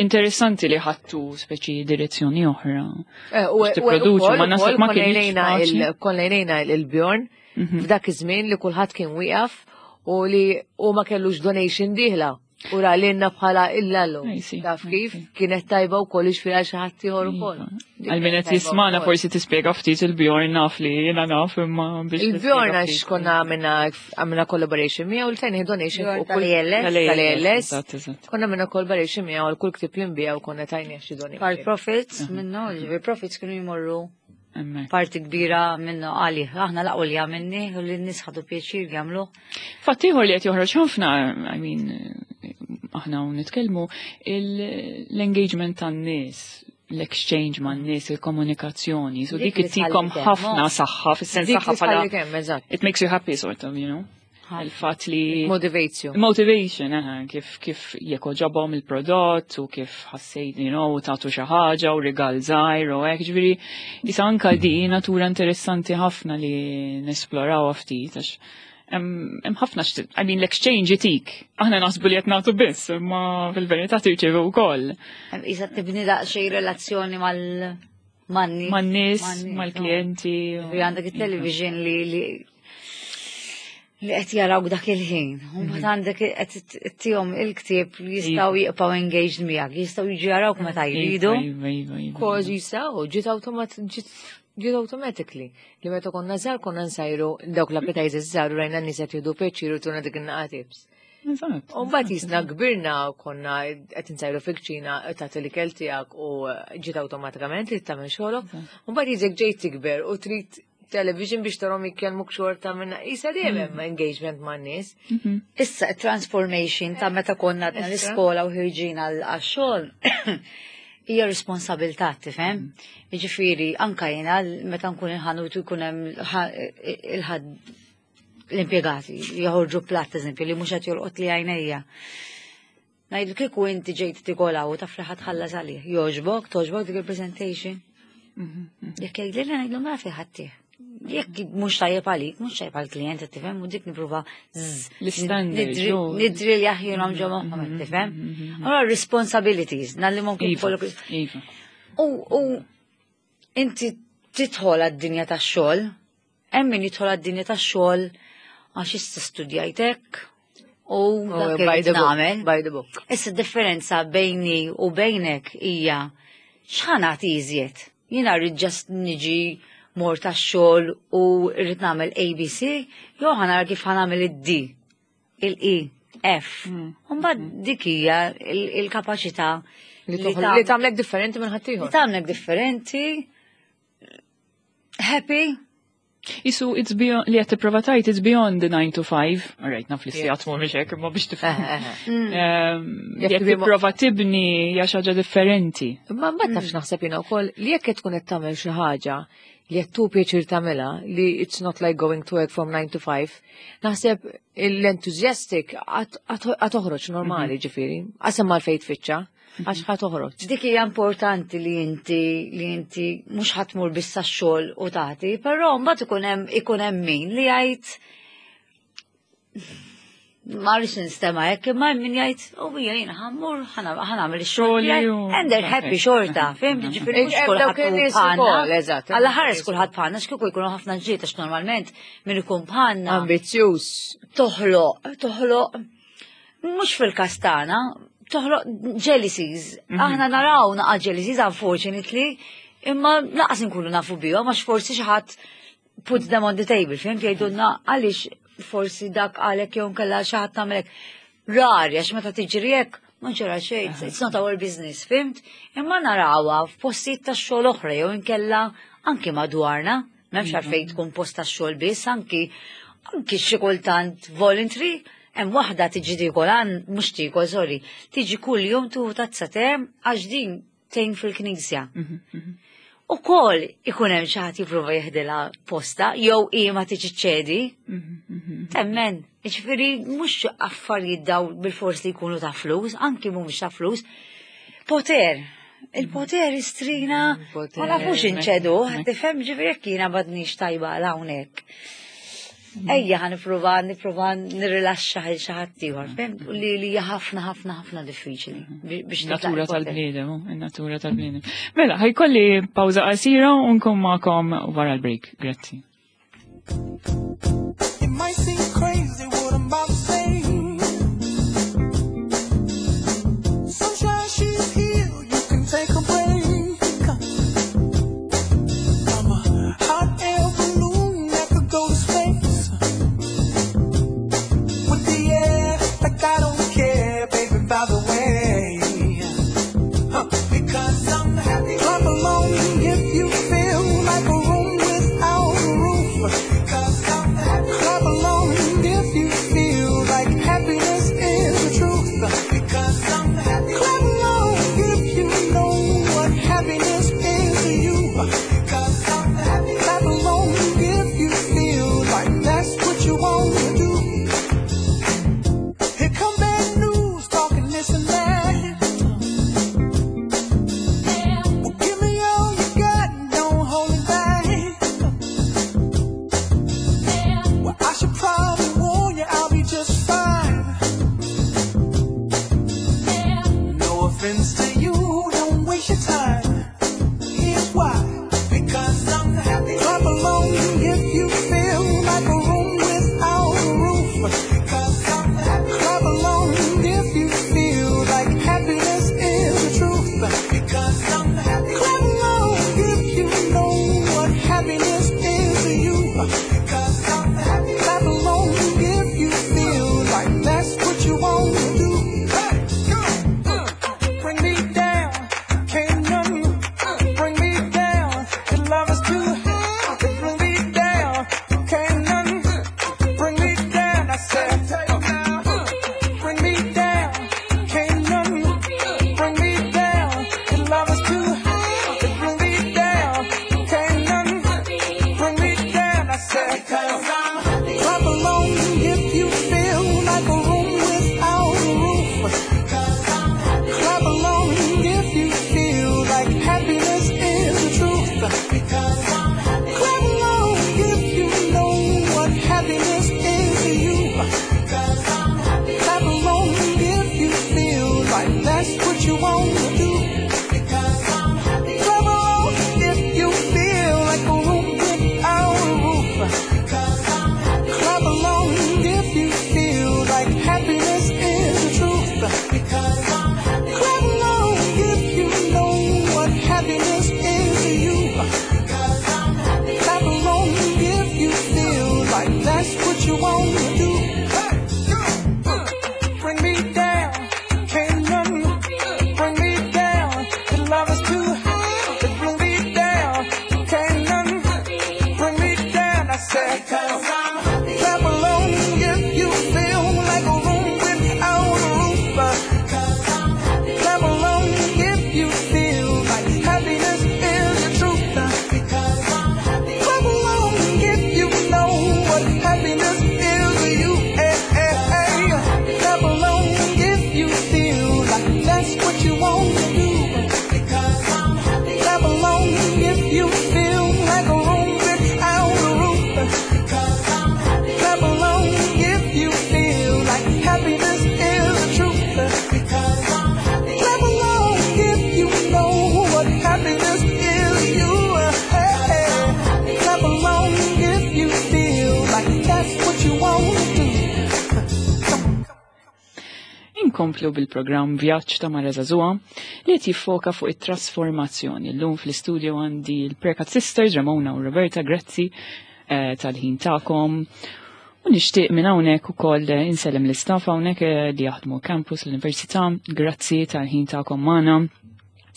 interessanti li ħattu speċi direzzjoni oħra. U Biex tipproduċu, ma naħseb ma kienx faċli. Konna jnejna il-Bjorn f'dak iż-żmien li kulħadd kien wieqaf u li u ma kellux donation dieħla. U ra lilna bħala illallu. I see, Taf I kif? see. Kienet tajba u kollox fil xi ħadd ieħor ukoll. Iva. Għal min qed jismana forsi tispjega ftit il-Bjorn naf li jiena naf imma biex. Il-Bjorn tispjega għax ftit. konna għamilna collaboration miegħu u l-tajni donation Bjorn fuq kull tal-ALS. tal-ALS. Eżatt. Konna għamilna collaboration miegħu għal kull ktieb li nbiegħu konna tajni xi donation. Part profits minnu, ġifieri profits kienu jmorru Hemmhekk. parti kbira minnu għalih. Aħna laqgħu li għamilni u li n-nies ħadu pjaċir jagħmlu. Fatt ieħor li qed joħroġ ħafna, I mean, aħna u nitkellmu, l-engagement tan-nies, l-exchange man-nies, il-komunikazzjoni, so Dik dik li ittikom tħalli kemm, ħafna no? saħħa, fis-sens Dik saħħa li bħala tħalli kemm, eżatt. it makes you happy sort of, you know. Il-fatt li Motivates you. Motivation, aha, kif jekk ġabhom il-prodott u kif ħassejt, you know, tagħtu xi ħaġa u rigal żgħir u hekk, ġifieri isa anka di natura interessanti ħafna li nesplorawha ftit għax hemm ħafna I mean l-exchange itik. Aħna naħsbu li qed nagħtu biss, imma fil-verità tirċievu wkoll. Isa tibni daqsxejn relazzjoni mal man-nies. Man-nies, Man-nies, mal-klijenti. no. Ġifieri għandek it-television li qed jarawk dak il-ħin. U mbagħad għandek qed ittihom il-ktieb li jistgħu jibqgħu engaged miegħek, jistgħu jiġu jarawk meta jridu. Iva, iva, iva. Kważi saw, ġiet automat ġiet automatically. Li meta konna żgħar konna nsajru dawk l-appetizers żgħar u rajna n-nies qed jieħdu pjaċir u tuna dik in-naqa tips. Eżatt. U mbagħad jisna kbirna u konna qed insajru fil-kċina tagħti l-ikel tiegħek u ġiet awtomatikament li tagħmel xogħolok. U mbagħad jiżek ġejt tikber u trid television biex tarhom jitkellmuk xorta minna. Isa dejjem hemm engagement man-nies. Issa transformation ta' meta konna għadna Issa. l-iskola u ħirġin għal-xogħol hija responsabilità, tifhem? Jiġifieri anka jiena meta nkun il-ħanut u jkun hemm il-ħadd l-impjegati joħorġu platt eżempju li mhux qed jolqot li għajnejja. Ngħidu kieku inti ġejt tikol u taf li ħadd ħallas għalih. Jogħġbok, togħġbok dik il-presentation. Jekk jgħidli li ngħidlu ma fi ħadd Jekk mhux tajjeb għalik, mhux tajjeb għall-klient, qed tifhem, u dik nipprova zzz. L-standards, jo. Nidri li aħjurhom ġo moħħhom, qed tifhem. Allora responsibilities, nallimhom kif Iva, kollok. iva. U inti tidħol għad-dinja tax-xogħol, hemm min jidħol għad-dinja tax-xogħol għax issa studjajtek u dak By irid the book. nagħmel. By the book. Issa differenza bejni u bejnek hija x'ħa nagħti iżjed. Jiena rrid just niġi mor tax-xogħol u rrid nagħmel ABC, jew ħa nara kif ħa nagħmel id-D, il-E, F. U mbagħad dik hija il-kapaċità Li tagħmlek differenti minn li ħaddieħor. tagħmlek differenti, happy, Isu, it's beyond, li qed tipprova tgħid, it's beyond the 9 to 5. Alright, naf li sigħat mhumiex hekk, imma biex tifhem. You Li have qed to be tipprova tibni hija xi ħaġa differenti. Imma mbagħad tafx naħseb jiena wkoll li jekk qed tkun qed tagħmel xi ħaġa li qed tu pjaċir tagħmilha li it's not like going to work from 9 to 5, naħseb l-enthusiastic għad toħroġ normali ġifieri, qasem mal fejn tfittxa, għax ħa toħroġ. Dik hija importanti li inti mhux ħa tmur biss għax-xogħol u tagħti, però mbagħad ikun hemm min li jgħid Ma rridx nistema' hekk, imma hemm min jgħid, u hija jiena ħa mmur ħa nagħmel ix-xogħol tiegħi. And they're happy xorta, fhimt? Ġifieri mhux kulħadd hu bħalna. Alla ħares kulħadd bħalna, x'kieku jkunu ħafna ġlied għax normalment min ikun bħalna. Ambizzjuż. Toħloq, toħloq, mhux fil-każ tagħna, toħloq jealousies. Aħna naraw naqa' jealousies unfortunately, imma laqas inkunu nafu bihom għax forsi xi ħadd put them on the table, fhimt, jgħidulna għaliex forsi dak għalek jew kella xi ħadd tagħmelek. Rari, għax meta tiġri hekk, ma ġara xejn, it's not our business, fhimt? Imma narawha f'postijiet ta' xogħol oħra jew inkella anki madwarna, m'hemmx għalfejn tkun post ta' xogħol biss, anki xi kultant voluntary, hemm waħda tiġi tiekol għan, mhux tiekol, sorry, tiġi kull jum tuħu tazza te għax din tgħin fil-knisja. U kol ikun hemm xi ħadd jipprova jeħdilha posta jew hi ma tiġi ċedi. Temmen, jiġifieri mhux affarijiet daw bil-fors li jkunu ta' flus, anki mhumiex ta' flus. Poter. Il-poter istrina ma nafux inċedu, tifhem ġifieri jekk jiena m'għadnix tajba għal hawnhekk. Ejja ħa nipprova nirrilaxxa lil xi ħadd ieħor, fhimt? U li hija ħafna ħafna ħafna diffiċli biex Natura titlaq il-poter. Tal-bniedem, oh, in-natura tal-bniedem. Mela, ħa jkolli pawża qasira u nkun magħkom wara l-break. Grazzi. It might seem crazy what I'm about to say. Sunshine, she's here. You can take a break. I'm a hot air balloon that could go to space. With the air, like I don't care, baby, by the way. Huh, because I'm happy. Clap along if you feel like a room without a roof. Because I'm happy. Clap along if you feel like happiness is the truth. Because I'm happy. Clap along if you know what happiness is to you. Because I'm happy. Clap along if you feel like that's what you want to do. Here come bad news, talking this and that. Well, give me all you got, don't hold it back. Well, I should probably warn you, I'll be just fine. No offense to you, don't waste your time. Here's why. Because I'm happy. Clap along if you feel like a room without a roof. Because I'm happy. Clap along if you feel like happiness is the truth. Because I'm happy. Clap along if you know what happiness is to you. Because I'm happy. Clap along if you feel like that's what you want to do. Hey, go. Bring me down, can't nothing bring me down. Your love is too high to bring me down. Can't nothing bring me down. I said, bring me down. Can't nothing bring me down. Your love is too high to bring me down. Can't nothing bring me down. I said, because I'm happy. Clap along if you feel like a room without a roof. Because I'm happy. Clap along if you feel like happiness is the truth. Because I'm happy. Clap along if you know what happiness is to you. Because I'm happy. Clap along if you feel like that's what you want to do. Because I'm happy. Clap along if you feel like a room without a roof. Because I'm happy. Clap along if you feel like happiness is the truth. Because I'm happy. Clap along if you know what happiness is to you. Because I'm happy. Clap along if you feel like that's what you want to do. Hey, go. Bring me down, can't nothing bring me down. Your love is too high to bring me down. Can't nothing bring me down. I said, because I'm happy. Clap along if you feel like a room without a roof. Because I'm happy. Clap along if you feel like happiness is the truth. Because I'm happy. Clap along if you know what happiness is. Inkomplu bil-programm Vjaġġ ta' Mara Żagħżugħa li qed jiffoka fuq it-trasformazzjoni. Llum fl-istudio għandi l-Prekat Sisters Ramona u Roberta, grazzi tal-ħin tagħkom. U nixtieq minn hawnhekk ukoll insellem l-istaff hawnhekk li jaħdmu campus l-Università, grazzi tal-ħin tagħkom magħna.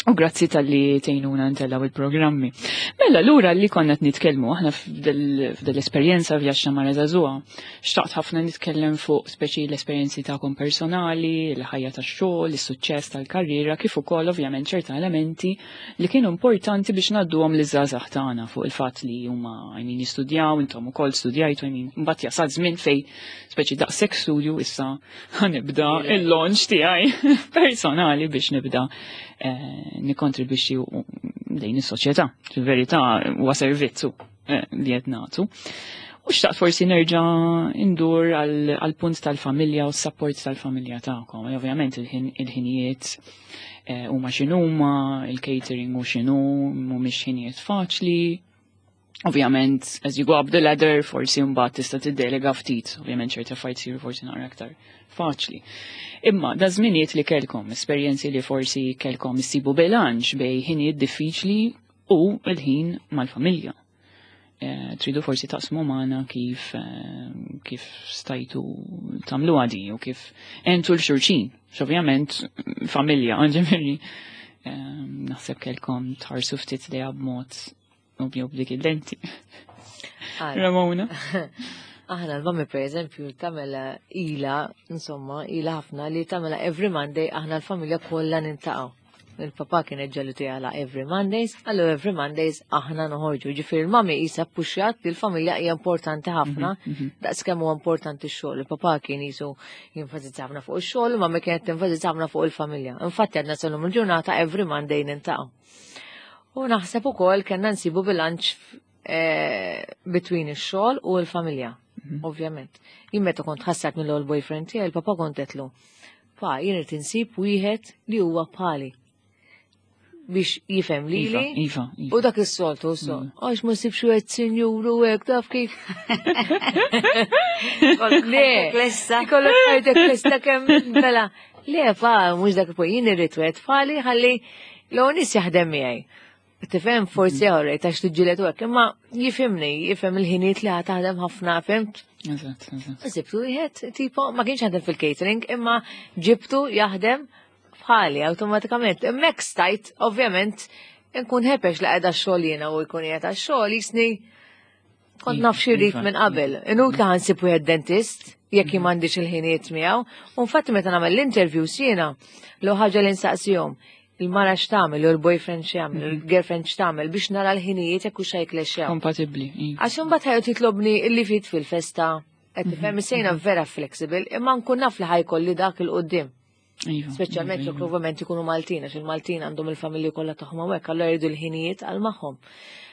U grazzi tal-li tejnuna ntellaw il-programmi. Mela, lura li konna nitkellmu aħna f'dell-esperjenza vjaġġ Mara Żagħżugħa. Xtaqt ħafna nitkellem fuq speċi l-esperjenzi tagħkom personali, il-ħajja tax-xogħol, is-suċċess tal-karriera, kif ukoll ovvjament ċerta elementi li kienu importanti biex ngħadduhom liż-żgħażagħ tagħna fuq il-fatt li huma għajmin jistudjaw, intom ukoll studjajtu, għajmin mbagħad jasal żmien fej speċi daqshekk studju issa ħanibda il-launch tiegħi personali biex nibda nikkontribwixxi lejn is-soċjetà. Fil-verità huwa servizzu li qed nagħtu. U xtaqt forsi nerġa' indur għal punt tal-familja u s-sapport tal-familja tagħkom. Ovvjament il-ħinijiet huma x'inhuma, il-catering u x'inhu, mhumiex ħinijiet faċli. Ovvjament, as you go up the ladder, forsi mbagħad tista' tiddelega ftit, ovvjament ċerti affarijiet isiru forsi naqra aktar faċli. Imma da żminijiet li kellkom, esperjenzi li forsi kellkom issibu bilanċ bej ħinijiet diffiċli u l-ħin mal-familja. Tridu forsi taqsmu magħna kif stajtu tagħmlu għadi u kif entu l-xulxin. Ovvjament familja, ġifieri, naħseb kellkom tħarsu ftit li b'mod ovvju b'dik il-lenti. Ramona. Aħna l-mami per eżempju tagħmela ila, insomma, ila ħafna li tagħmela every Monday aħna l-familja kollha nintaqgħu. Il-papa kien ġallu tiegħla every Mondays, allu every Mondays aħna noħorġu. Ġifieri l-mami qisha puxjat li l-familja hija importanti ħafna, daqs kemm huwa importanti x-xogħol. Il-papa kien jisu jenfasizza ħafna fuq ix-xogħol, u mami kienet tenfasizza ħafna fuq il-familja. Infatti għadna sal-lum il-ġurnata every Monday nintaqgħu. U naħseb ukoll kellna nsibu bilanċ between ix-xogħol u l-familja, ovvjament. Jien meta kont ħassat mill-ewwel boyfriend tiegħi, il-papa kont qedlu, pa jien irid insib wieħed li huwa bħali biex jifhem lili. Iva, iva. U dak is-soltu, so, għax ma sibx wieħed sinjuru hekk taf kif. Le, Lesta. Ikollok ħajtek lesta kemm mela. Le, fa, mhux dak il jien irrid wieħed bħali ħalli l nies jaħdem miegħi. Tifhem forsi għorrej ta' xtiġġilet u hekk, imma jifhimni, jifhem il-ħinijiet li taħdem ħafna, fimt? Eżatt, eżatt. Sibtu wieħed tipo ma kienx jaħdem fil-catering, imma ġibtu jaħdem bħali awtomatikament. Hemmhekk stajt, ovvjament, nkun ħepex li qiegħda x-xogħol jiena u jkun qiegħed għax-xogħol jisni kont naf xi rrid minn qabel. Inut li ħansib wieħed dentist jekk jien m'għandix il-ħinijiet miegħu. U infatti meta nagħmel l-interviews jiena l ħaġa li nsaqsihom il-mara x'tagħmel u l-boyfriend x'jagħmel, u l-girlfriend x'tagħmel biex nara l-ħinijiet jekk hux ħajklexxew. Kompatibbli. Iva. Għax imbagħad ħajqgħod jitlobni illi fit fil-festa, qed tifhem sejna vera flexible, imma nkun naf li ħajkolli dak il-qudiem. Iva. Speċjalment iva, jekk ovvjament ikunu Maltin, għax il-Maltin għandhom il-familji kollha tagħhom hawnhekk, allura jridu l-ħinijiet għal magħhom.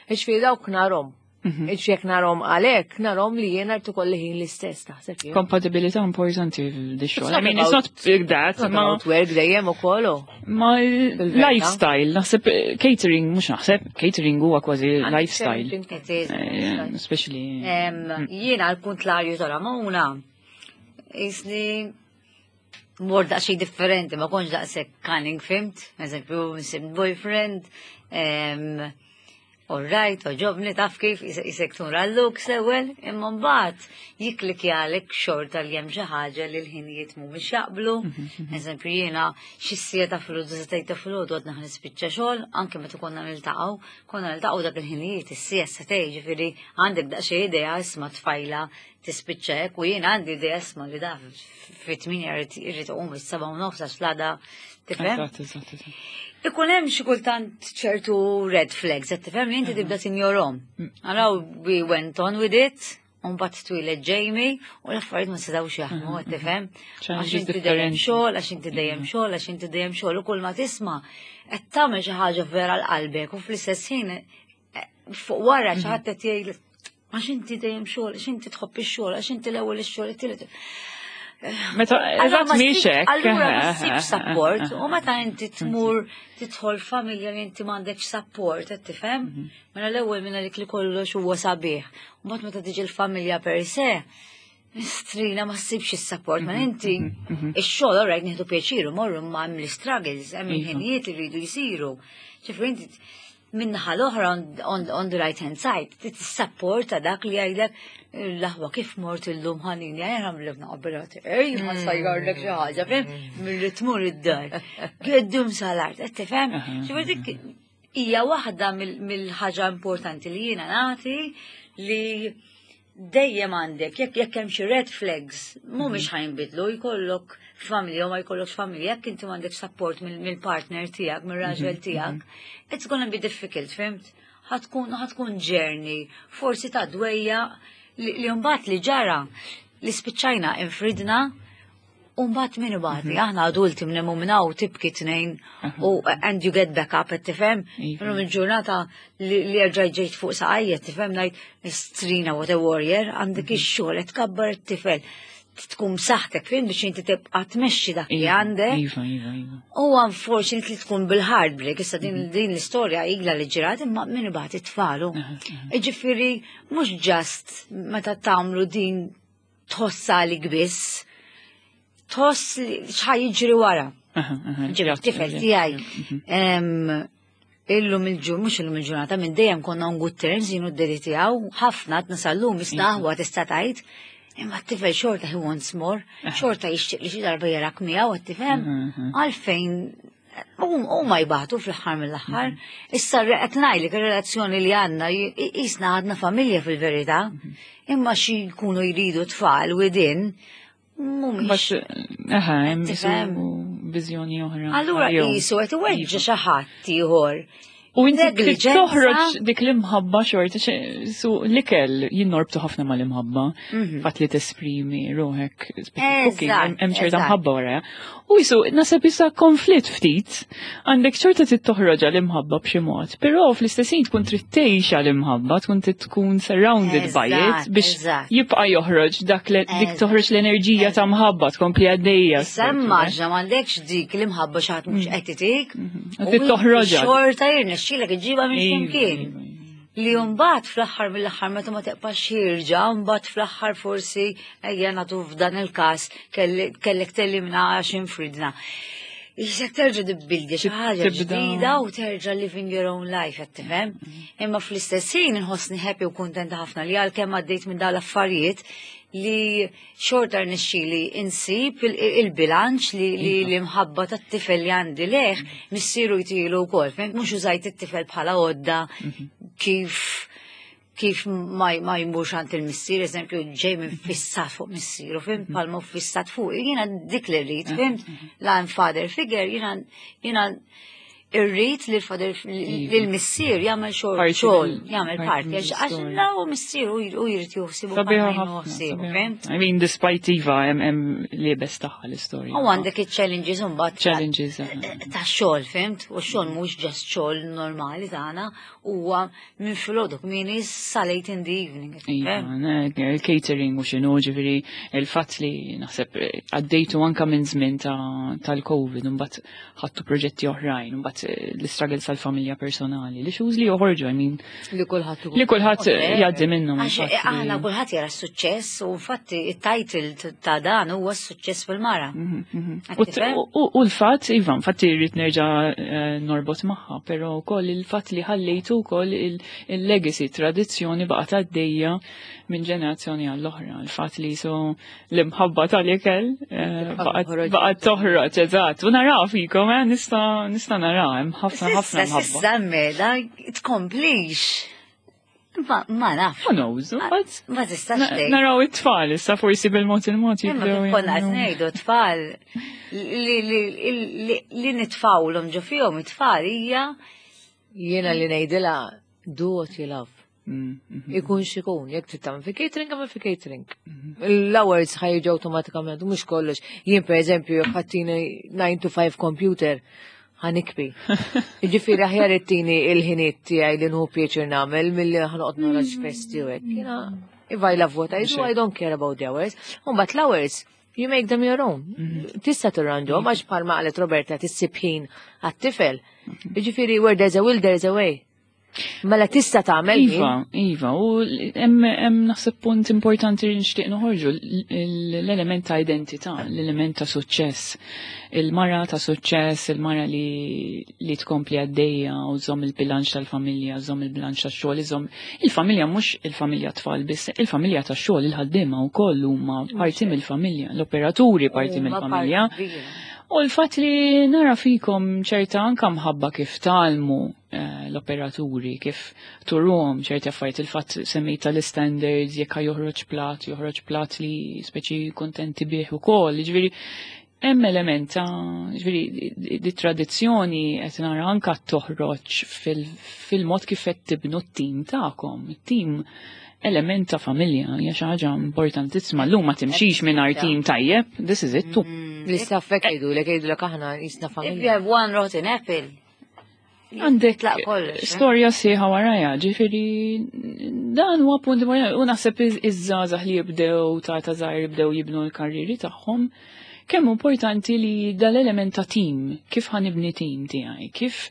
Iġifieri dawk narhom. Iġifieri jekk narhom għalhekk, narhom li jiena rrid ikolli ħin l-istess taħseb jien. Kompatibilità importanti f'di xogħol. It's I not mean, it's about- not that, Not ma about work dejjem ukoll. u. ma Fil-verità. lifestyle, naħseb catering, mhux naħseb, catering huwa kważi lifestyle. It is. Especially. Jiena għal-kontlarju ta' Ramona, jisni mor daqsxejn differenti, ma kontx daqshekk cunning, fimt? Eżempju, nsibt boyfriend, all right, oġobni taf kif jisek tura l-looks l-ewwel, imma mbagħad jiklikjalek xorta li hemm xi ħaġa li l-ħinijiet mhumiex jaqblu. Eżempju jiena xi siegħa ta' filgħodu setgħid ta' filgħodu għadna nispiċċa xogħol, anke meta konna niltaqgħu, konna niltaqgħu dak il-ħinijiet is-siegħa setgħid, ġifieri għandek daqsxejn idea isma' tfajla tispiċċa hekk u jien għandi idea isma' li da fit-8 irrid iqum is-7:30 għax l-għada tifhem. Eżatt, eżatt, eżatt. Ikun hemm xi kultant ċertu red flags, qed tifhem li inti tibda tinjorhom. Araw we went on with it, u mbagħad twieled Jamie u l-affarijiet ma setgħux jaħdmu, qed tifhem. Għax Challenges inti dejjem differenti. xogħol, għax inti dejjem xogħol, għax inti dejjem xogħol u kull ma tisma' qed tagħmel xi ħaġa vera l qalbek u fl-istess ħin fuq wara xi ħadd qed jgħid għax inti dejjem xogħol, għax inti tħobb ix-xogħol, għax inti l-ewwel ix-xogħol, it-tielet. Meta Allura eżatt ma mhix ssibx- hekk. Allura ma ssibx support u meta inti tmur tidħol familja li inti m'għandekx support, qed tifhem? Mela l-ewwel minna lik li kollox huwa sabiħ. U mbagħad meta tiġi l-familja per se, Strina ma ssibx is-support, ma inti ix-xogħol alright nieħdu pjaċir u morru ma hemm l-struggles, hemm Iva. il-ħinijiet li rridu jsiru. Ġifieri inti minnaħa l-oħra on the right hand side, tissapporta dak li jgħidlek l-aħwa kif mort illum ħanini, għajra mlibna qabel ej, ma sajjarlek xi ħaġa, fem, milli tmur id-dar. Geddum sal-art, qed tifhem? Ġifieri dik hija waħda mill-ħaġa importanti li jiena nagħti li dejjem għandek, jekk hemm xi red flags, mhumiex ħa jinbidlu, jkollok familja u ma jkollokx familja, jekk inti m'għandek support mill-partner tiegħek, mill-raġel tiegħek, it's gonna be difficult, fhimt? Ħa tkun journey, forsi ta' dwejja li mbagħad li ġara li spiċċajna infridna. U mbagħad min ibati, aħna adulti minn minn hawn tibki tnejn u and you get back up, qed tifhem? Iva. Illum il-ġurnata li erġajt ġejt fuq saqajja, tifhem ngħid strina what a warrior, għandek ix-xogħol qed tkabbar it-tifel. Tkun saħtek fin biex inti tibqa' tmexxi dak li għandek. Iva, iva, iva. U unfortunately tkun bil-heartbreak, issa din l-istorja igla li ġrat imma min ibati tfalu. Iġifieri mhux just meta tagħmlu din tħossa li biss, tħoss li x'ħa jiġri wara. Aha, aha, Ġifieri tifel tiegħi. Illum il-ġur, mhux illum il-ġurnata, minn dejjem konna on good terms jien u d-daddy tiegħu, ħafna qed nasallum aħwa tista' tgħid. Imma t-tifel xorta he wants more, xorta jixtieq li xi darba jarak miegħu qed tifhem. Għalfejn u ma jbatu fl-aħħar mill-aħħar. Issa qed ngħidlek ir-relazzjoni li għandna jisna għadna familja fil-verità, imma xi jkunu jridu tfal within mhumiex. Bax, aha, hemm Tifhem? isu viżjoni oħra. Allura Jew- qisu qed iweġġa' xi ħadd ieħor. U inti trid Negliġenza. toħroġ dik l-imħabba xorta, su l-ikel jien norbtu ħafna mal-imħabba, fatt li tesprimi ruħek, cooking, hemm ċerta mħabba wara. U jisu, naħseb issa konflitt ftit, għandek xorta trid toħroġ l-imħabba b'xi mod, però fl-istess ħin tkun trid tgħix l-imħabba, tkun trid tkun surrounded by it biex jibqa' joħroġ dak li dik toħroġ l-enerġija ta' mħabba tkompli għaddejja. Issa immaġna m'għandekx dik l-imħabba xi ħadd mhux qed itik. U trid toħroġha. Xorta jirnexxielek iġġibha minn x'imkien. Iva, iva. Li mbagħad fl-aħħar mill-aħħar meta ma teqpax jirġa', mbagħad fl-aħħar forsi ejja nagħtu f'dan il-każ kellek tellimna għax infridna. Jisek terġa' tibbildi xi ħaġa ġdida u terġa' living your own life, qed tifhem? Imma fl-istess ħin inħossni happy u kuntenta ħafna li għalkemm għaddejt minn dawn l-affarijiet li xorta rnexxieli insib il-bilanċ li l-imħabba tat-tifel li għandi leħ missieru jtilu wkoll. Fhimt? Mhux użajt it-tifel bħala għodda kif ma jmurx għand il-missier, eżempju, ġej minn fissat fuq missieru, fhimt, palmu fissat fuq, jiena dik li rrid, fhimt, la father figure, jiena irrid li l-father li l-missier jagħmel xogħol xogħol, jagħmel parti, għax la u missier u jrid juħsibu Sabiħa ħafna. Fhimt? I mean, despite Iva, hemm li bes tagħha l-istorja. U għandek il-challenges mbagħad Challenges. ta' xogħol, fhimt? U xogħol mhux just xogħol normali tagħna, huwa minn filgħodu kmieni sa late in the evening. Iva, il-catering u xinu, ġifieri, il-fatt li naħseb għaddejtu anka minn żmien tal-Covid, mbagħad ħadtu proġetti oħrajn, mbagħad l-struggles tal-familja personali, li xuż li joħorġu, I mean, Li kulħadd li kulħadd jgħaddi minnhom. Għax aħna kulħadd jara s-suċċess u infatti it-title ta' dan huwa s-suċċess fil-mara. U u l-fatt, Iva, infatti rrid nerġa' norbot magħha, però wkoll il-fatt li ħallejtu wkoll il-legacy, tradizzjoni baqgħet għaddejja minn ġenerazzjoni għall-oħra. Il-fatt li so l-imħabba tal-ikel baqgħet toħroġ, eżatt. U naraw fikom, nista' naraw, hemm ħafna ħafna Sissa, mħabba. sissa mela tkomplix. Ma nafx. Who knows, but Ma tistax tgħid. naraw it-tfal issa forsi bil-mod il-mod Imma jibdew kif konna qed jagħmlu. ngħidu tfal li nitfawlhom ġo fihom it-tfal hija Jiena li ngħidilha do what you love. Ikun xikun, jekk trid tagħmel fi catering, għamel fi catering. L-hours ħa jiġu awtomatikament, u mhux kollox. Jien per eżempju, jekk ħa ttini 9 to 5 computer, ħa nibki. Ġifieri aħjar ittini il-ħiniet tiegħi li nieħu pjaċir nagħmel milli ħa noqgħod nara x'festi u hekk. Jiena, if I love what I do, I don't care about the hours. U mbagħad l-hours, you make them your own. Tista' tirranġhom għax bħalma qalet Roberta tissib ħin għat-tifel. Ġifieri where there's a will, there's a way. Mela tista' tagħmel. Iva, iva, u hemm naħseb punt importanti li nixtieq noħorġu l-element ta' identità, l-element ta' suċċess. Il-mara ta' suċċess, il-mara li tkompli għaddejja u żomm il-bilanċ tal-familja, żomm il-bilanċ tax-xogħol, iżomm il-familja mhux il-familja tfal biss, il-familja tax-xogħol, il-ħaddiema wkoll huma parti mill-familja, l-operaturi parti mill-familja. U l-fatt li nara fikom ċerta anka mħabba kif talmu l-operaturi, kif turuhom ċerti affarijiet, il-fatt semmejt tal-standards, jekk joħroġ plat, joħroġ plat li speċi kontenti bih ukoll, ġifieri hemm element ta' ġifieri di tradizzjoni qed nara anka toħroġ fil-mod kif qed tibnu t-tim tagħkom, it-tim element ta' familja, hija xi ħaġa importantissima. Llum ma timxix mingħajr tim tajjeb, this is it too. L-istaff hekk jgħidulek, jgħidulek aħna jisna If you familja. have one rotten apple, Għandek Tlaq kollox, eh? storja sieħa warajja, ġifieri dan huwa punt importanti. U naħseb iż-żgħażagħ li jibdew ta' ta' żgħir jibdew jibnu l-karriri tagħhom, kemm importanti li dal-element ta' tim, kif ħanibni tim tiegħi, kif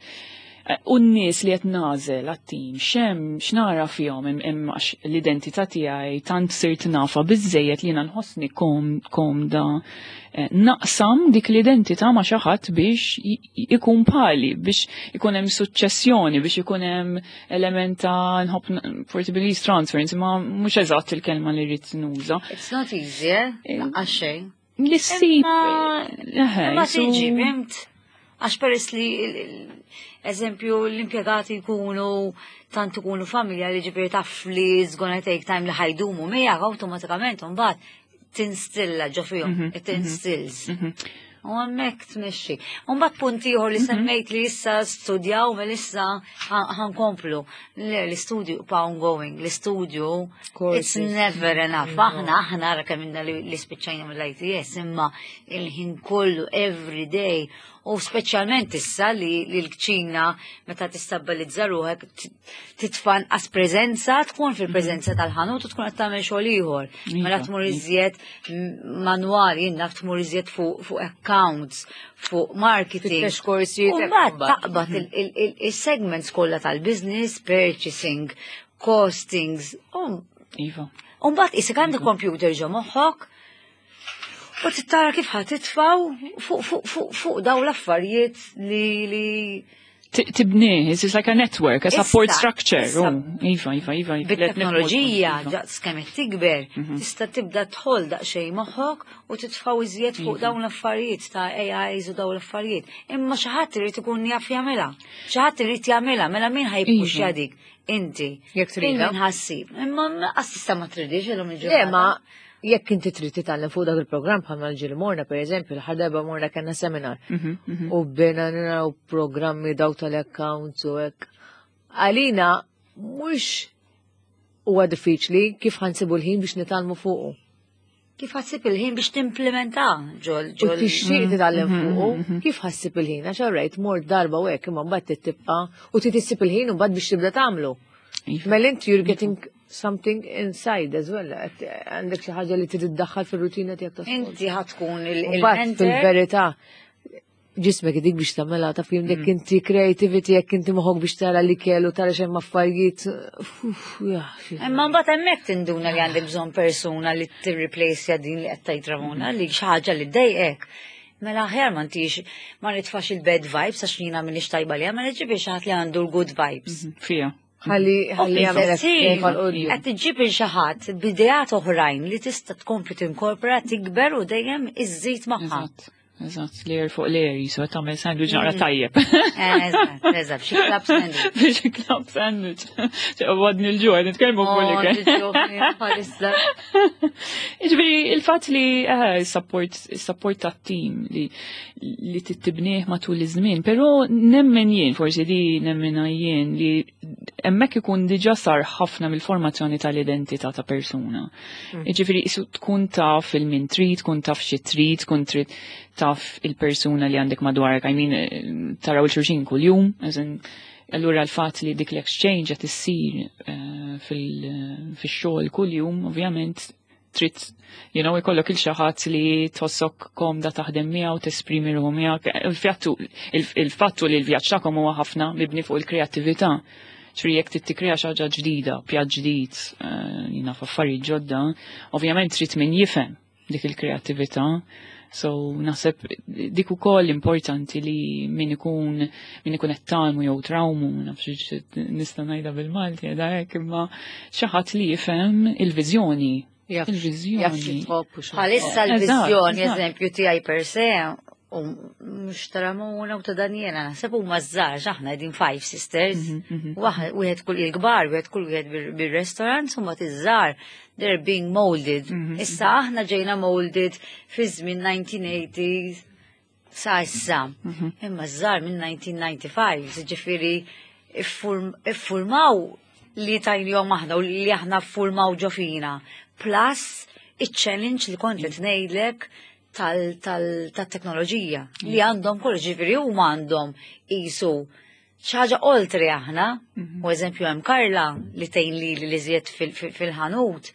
u n-nies li qed nagħżel għat-tim, x'hemm x'nara fihom hemm għax l-identità tiegħi tant sirt nafa biżejjed li jiena nħossni komda naqsam dik l-identità ma' xi ħadd biex ikun pali, biex ikun hemm suċċessjoni, biex ikun hemm element ta' nħobb forsi belief transfer, insomma mhux eżatt il-kelma li rrid nuża. It's not easy, eh? Lanqas xejn. Li ssib, Imma tiġi, fimt? Għax peress li, eżempju, l-impjegati jkunu tant ikunu familja li ġifieri taf li it's gonna take time li ħa jdumu miegħek awtomatikament mbagħad tinstilla ġo fihom, it instills. U hemmhekk tmexxi. U mbagħad punt ieħor li semmejt li issa studjaw mel issa ħa nkomplu. Le, l-istudju pa ongoing, l-istudju it's Courses. never enough. Aħna ara kemm inna li spiċċajna mill-ITS, imma il-ħin kollu every day u speċjalment issa li l-kċina meta tistabbilizza ruħek titfa' nqas preżenza, tkun fil-preżenza tal-ħanut u tkun qed tagħmel xogħol ieħor. Mela tmur iżjed manwali, jien naf tmur iżjed fuq accounts, fuq marketing. Fittex korsijiet, U hekk mbagħad mbagħad. taqbad il-segments kollha tal-business, purchasing, costings, u mbagħad isek għandek computer ġo moħħok u tittara kif ħa titfaw fuq daw l-affarijiet li Tibni, it's like a network, a support Issa, structure. issa. Oh, Iva, iva, iva. iva. Bit-teknoloġija, Iva. ġaqs kemm qed tikber, tista' tibda tħol daqsxejn moħħok u titfaw iżjed fuq dawn l-affarijiet ta' AIs u dawn l-affarijiet. Imma xi ħadd irid ikun jaf jagħmilha. Xi ħadd irid jagħmilha, mela min ħa jippuxja dik? Inti. Jekk tridha. Min ħassib. Imma assista ma tridix illum Le, il-ġurnata. ma jekk inti trid titgħallem fuq dak il-programm bħalma l-ġieli morna, per eżempju, l-aħħar darba morna kellna seminar. U bdejna naraw programmi daw tal-accounts u hekk. Għalina mhux huwa diffiċli kif ħa nsibu l-ħin biex nitgħallmu fuqu. Kif ħa ssib il-ħin biex timplementa ġol U ġol. tixtieq titgħallem fuqu, kif ħa ssib il-ħin? Għax rajt mort darba u hekk imma mbagħad tibqa' u trid issib il-ħin u mbagħad biex tibda tagħmlu. Iva. Mela inti you're getting something inside as well. Għandek xi ħaġa li trid iddaħħal fir-rutina tiegħek ta' Inti ħa tkun Mbagħad il-mentor. fil-verità ġismek idik biex tagħmilha ta' fim jekk inti creativity jekk inti moħħok biex tara li kellu tara xemm affarijiet. Uff, ja, Imma mbagħad hemmhekk tinduna li għandek bżonn persuna li tirreplace din li qed tgħid Ramona li xi ħaġa li ddejqek. Mela aħjar ma ntix ma nitfax il-bad vibes għax jiena m'iniex tajba li mela ġibi xi ħadd li għandu l-good vibes. Fija. Ħalli ħalli jagħmel Qed iġġib il xi ħadd b'ideat oħrajn li tista' tkompli tinkorpora tikber u dejjem iżżid magħha. Eżatt. Eżatt, layer fuq layer, jisu tagħmel sandwich naqra tajjeb. Eżatt, xi club sandwich. Biex club sandwich. Għadni l-ġuħ, nitkellmu fuq Oh, l-ikel. bħalissa. Ġifieri, il-fatt li support, support ta' team li tittibnieh matul iż-żmien, però nemmen jien, forsi di nemmen jien li hemmhekk ikun diġà sar ħafna mill-formazzjoni tal-identità ta' persuna. Ġifieri, isu tkun taf il-min trid, tkun taf xi trid, tkun trid taf il-persuna li għandek madwarek, I mean, taraw il-xulxin kuljum, as in, allura l-fatt li dik l-exchange qed issir fix-xogħol kuljum, ovvjament trid ikollok il xi ħadd li tħossok komda taħdem miegħu, tesprimi ruħu miegħek. Il-fattu li l-vjaġġ tagħkom huwa ħafna mibni fuq il-kreattività. Ġifieri jekk trid tikkrea xi ħaġa ġdida, pjatt ġdid, jiena f'affarijiet ġodda, ovvjament trid min jifhem dik il-kreattività. So naħseb dik ukoll importanti li min ikun min ikun qed tgħallmu jew trawmu, nafx nista' ngħidha bil-Malti qiegħda hekk, imma xi ħadd li jifhem il-viżjoni. Il-viżjoni. Bħalissa l-viżjoni, eżempju tiegħi per se, u mhux ta' Ramona u ta' Daniela, naħseb huma żgħar, aħna qegħdin five sisters, wieħed kull il-kbar, wieħed kull wieħed bir-restaurant, huma tiż-żgħar, they're being molded. Issa aħna ġejna molded fi żmien 1980s sa issa. Imma żgħar minn 1995, ġifieri iffurmaw li tajnihom aħna u li aħna ffurmaw ġo fina. Plus iċ-challenge li kont qed ngħidlek tal-teknoloġija li għandhom kull ġifieri huma għandhom qisu xi ħaġa oltre aħna. U eżempju hemm Karla li tgħin li li iżjed fil-ħanut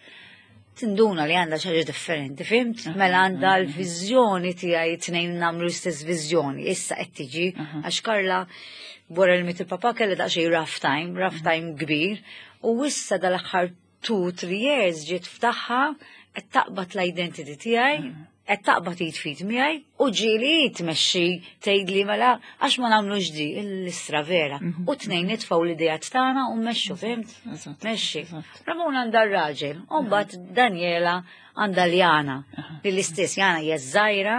tinduna li għandha xi ħaġa differenti, fhimt? Mela għandha l-viżjoni tiegħi tnejn nagħmlu l-istess viżjoni. Issa qed tiġi għax Karla wara li miet il-papa kellha daqsxejn rough time, rough time kbir, u issa dal-aħħar 2-3 years ġiet ftaħħa qed taqbad l-identity tiegħi, qed taqbad id fit miegħi u ġieli tmexxi tgħidli mela għax ma nagħmlux di l-istra vera. U tnejn nitfgħu l-idejat tagħna u mmexxu, fhimt? Mexxi. Ramona għandha r-raġel, u mbagħad Daniela għandha l-Jana, li l-istess Jana hija żgħira.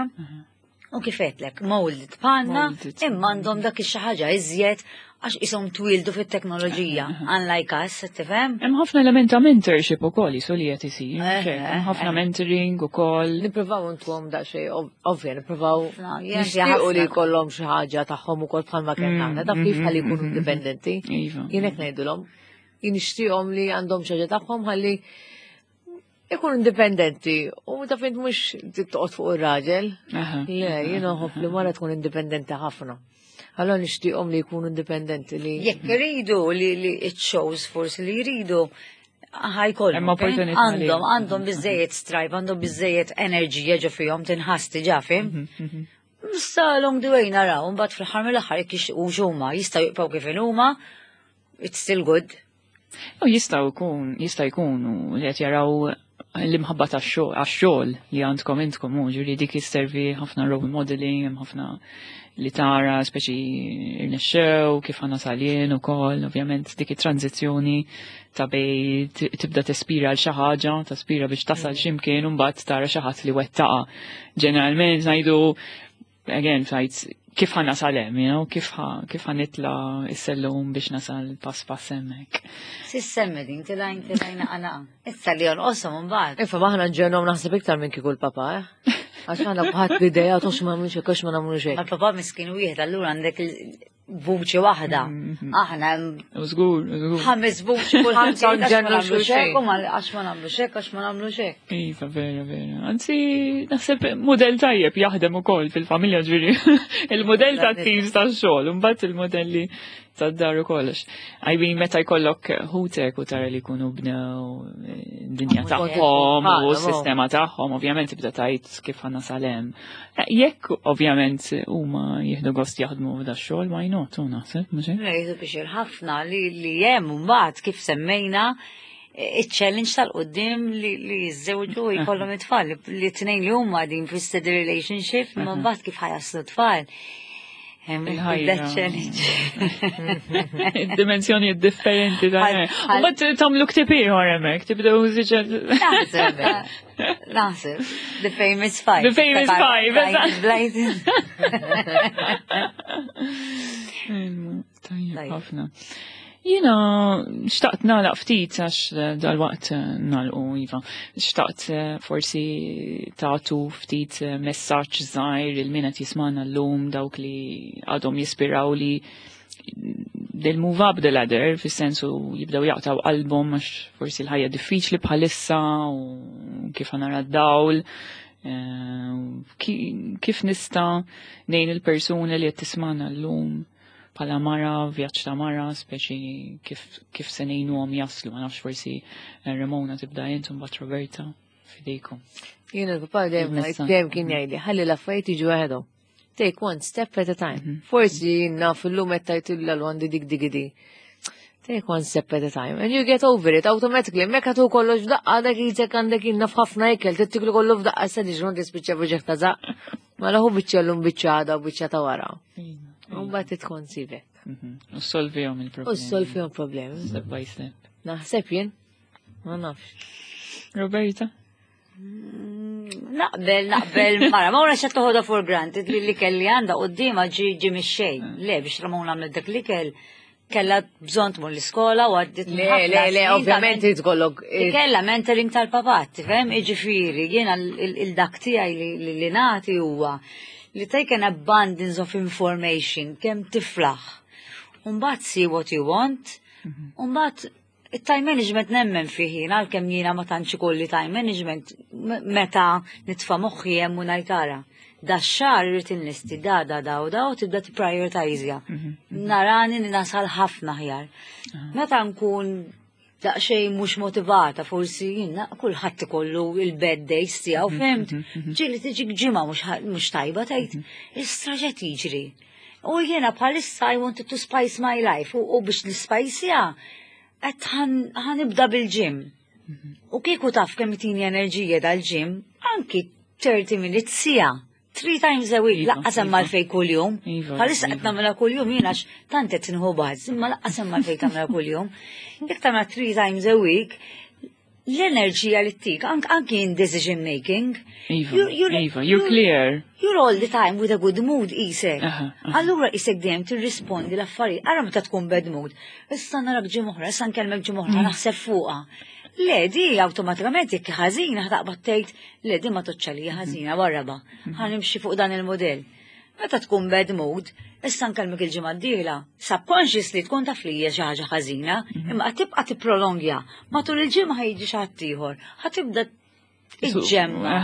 U kif għedtlek, molded bħalna, imma għandhom dak xi ħaġa iżjed għax ishom twildu fit-teknoloġija, unlike us, tifhem? Hemm ħafna element ta' mentorship ukoll jisu li qed isir. Hemm ħafna mentoring ukoll. Nippruvaw intuhom daqsxejn ovvja, nippruvaw nixtiequ li jkollhom xi ħaġa tagħhom ukoll bħalma kellna aħna, taf kif ħalli jkunu indipendenti. Jien hekk ngħidulhom. Jien nixtieqhom li għandhom xi ħaġa tagħhom ħalli ikun indipendenti u taf int mhux toqgħod fuq ir-raġel. Le, jien nħobb li mara tkun indipendenti ħafna. Allora nixtieqhom li jkunu indipendenti li. Jekk iridu li li it shows forsi li jridu ħajkollhom. Hemm opportunità li- Għandhom għandhom biżejjed strive, għandhom biżejjed enerġija ġo fihom tinħass diġà fim. Issa along the way naraw, mbagħad fl-aħħar mill-aħħar jekk jixtiequx huma jistgħu jibqgħu kif huma, it's still good. U jistgħu jkun, jista' jkunu li qed jaraw l-imħabba tax-xogħol għax-xogħol li għandkom intkom u ġifieri dik jisservi ħafna role modeling, hemm ħafna li tara speċi irnexxew, kif ħa nasal jien ukoll, ovvjament dik it-tranzizzjoni ta' bej tibda tespira għal xi ħaġa, taspira biex tasal x'imkien u mbagħad tara xi ħadd li wettaqa. Ġeneralment ngħidu again fajt kif ħa nasal hemm, kif ħa nitla s-sellum biex nasal pass pass hemmhekk. Sissemmi din tilajn tilajn għana. Issa li jonqoshom imbagħad. Ifa maħna ġenhom naħseb iktar minn kieku l-papa, eh? Għax aħna bħat l-idea tux ma nagħmlux hekk, għax ma nagħmlux hekk. Ma l-papa miskin wieħed allura għandek vuċi waħda. Aħna U żgur, u żgur. ħames vuċi kulħadd Ħamsa jgħid, għax ma nġennu nagħmlux xulxin. hekk, u għax ma nagħmlux hekk, għax ma nagħmlux hekk. Iva, vera, vera. Anzi, naħseb modell tajjeb jaħdem ukoll fil-familja ġifieri. Il-modell ta' teams tax-xogħol, u mbagħad il-modelli tad-dar u kollox. I mean, meta jkollok ħutek u tara li jkunu bnew dinja tagħhom u s-sistema tagħhom, ovvjament tibda tgħid kif ħa nasal hemm. Jekk ovvjament huma jieħdu gost jaħdmu f'da x-xogħol, why not, u naħseb, mhux hekk? Le, jieħdu biex ħafna li hemm mbagħad kif semmejna il-challenge tal-qoddim li jiżżewġu u jkollhom it-tfal, li tnejn li huma din fi steady relationship, imma mbagħad kif ħa jaslu t-tfal. Hemm Il-ħajja. that challenge. Dimensjoni differenti ta' U mbagħad tagħmlu ktieb ieħor hemmhekk, tibdew żiġed. Naħseb, naħseb. The Famous Five. The Famous Five, eżatt. Blighton. Tajjeb Tajjeb. ħafna. Jiena xtaqt nagħlaq ftit għax dal-waqt nagħlqu iva. Xtaqt forsi tagħtu ftit messaġġ żgħir il min qed jismagħna llum dawk li għadhom jispiraw li they'll move up the ladder, fis-sensu jibdew jaqtaw qalbhom għax forsi l-ħajja diffiċli bħalissa u kif nara d-dawl. Kif nista' ngħin il-persuna li qed tismagħna llum bħala mara, vjaġġ ta' mara, speċi kif se ngħinuhom jaslu, ma nafx forsi Ramona tibda int u mbagħad Roberta fidejkom. Jiena l-papa Il-messaġġ. dejjem kien jgħidli, ħalli l-affarijiet jiġu waħedhom. Take one step at a time. Forsi jiena fil-lum qed tgħidilha l għandi dik dik di. Take one step at a time and you get over it automatically. Mekka tu kollox f'daqqa dak jizek għandek jinna f'ħafna ikel, tittiklu kollu f'daqqa sa diġ ma tispiċċa b'ġeħ ta' zaq. Ma laħu biċċa l-lum biċċa għada u biċċa ta' wara. Mbagħad titkonsive. U solvihom il-problemi. U solvihom problemi. Step by step. Naħseb jien. Ma nafx. Roberta? Naqbel, naqbel, mara, ma ura xa toħodha for granted li li kelli għanda qoddima ġi ġi mix-xejn. Le, biex Ramona għamlet dak li kell, kella bżonn tmur l-iskola u għaddit Le, le, le, ovvjament tkollok. Kella mentoring tal-papat, tifhem? Iġifieri, jiena il-dak tiegħi li nagħti huwa li take an abundance of information kemm tiflaħ. Umbagħad see what you want, umbagħad Il-time management nemmen fih jien, għalkemm jiena ma tantx ikolli time management meta nitfa' moħħi hemm u ngħid ara. Da xahar irrid inlisti da da da u da u tibda tipprioritizja. Mhm, mhm. Narani li nasal ħafna aħjar. Meta nkun daqsxejn mhux motivata, forsi jiena kulħadd ikollu il-bad days tiegħu, mhm, fimt? Ġieli tiġi ġimgħa mhux tajba tgħid, istra x'qed jiġri. U jiena bħalissa I wanted to spice my life u biex nispajsja qed ħanibda bil-gym. U kieku taf kemm tini enerġija dal-gym, anki 30 minutes sija. Three times a week, iva, laqqas hemm iva. għalfej kuljum. Iva, Bħalissa qed nagħmilha kuljum jien għax tant qed inħu baż, imma laqqas hemm għalfej tagħmilha kuljum. Jekk tagħmilha three times a week, l-enerġija li ttik, anki in decision making. Iva, you're, Iva, you're clear. You're all the time with a good mood isek. Allura isek dejjem tirrispondi l-affarijiet. Ara meta tkun bad mood. Issa narak ġimgħa issa nkellmek ġimgħa mm. naħseb fuqha. Le, di awtomatikament jekk ħażina ħtaqbad tgħid, le di ma toċċalija ħażina warraba. Mm. Ħanimxi fuq dan il-modell. Meta tkun bad mood, issa nkellmek il-ġimgħa d-dieħla, subconsciously tkun taf li hija xi ħaġa ħażina, mhm. imma qed tibqa' tipprolongja. Matul il-ġimgħa ħajġi xi ħadd ieħor, ħa tibda iġġemma.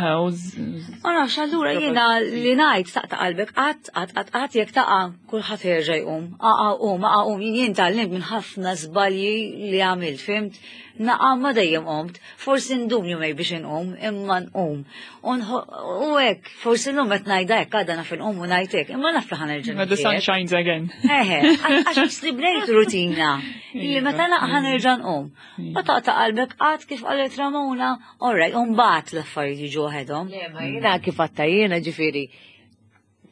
Ma nafx allura jiena li ngħid taqta' qalbek qatt qatt qatt qatt jekk taqa' kulħadd jerġa' jqum. Aqa' qum, aqa' qum, jien tgħallimt minn ħafna żbalji li għamilt, fimt? Naqa' ma dejjem qomt, forsi ndum jumej biex inqum, imma nqum. U hekk, forsi llum qed ngħidha hekk għadha naf inqum u ngħid hekk, imma naf li ħa nerġa' The sun shines again. Eħe, għax li bnejt rutina li meta naqa' ħa nerġa' nqum. Ma taqta' qalbek qatt kif qalet Ramona, all right, u mbagħad l-affarijiet jiġu waħedhom. Le, ma jiena kif għatta jiena ġifieri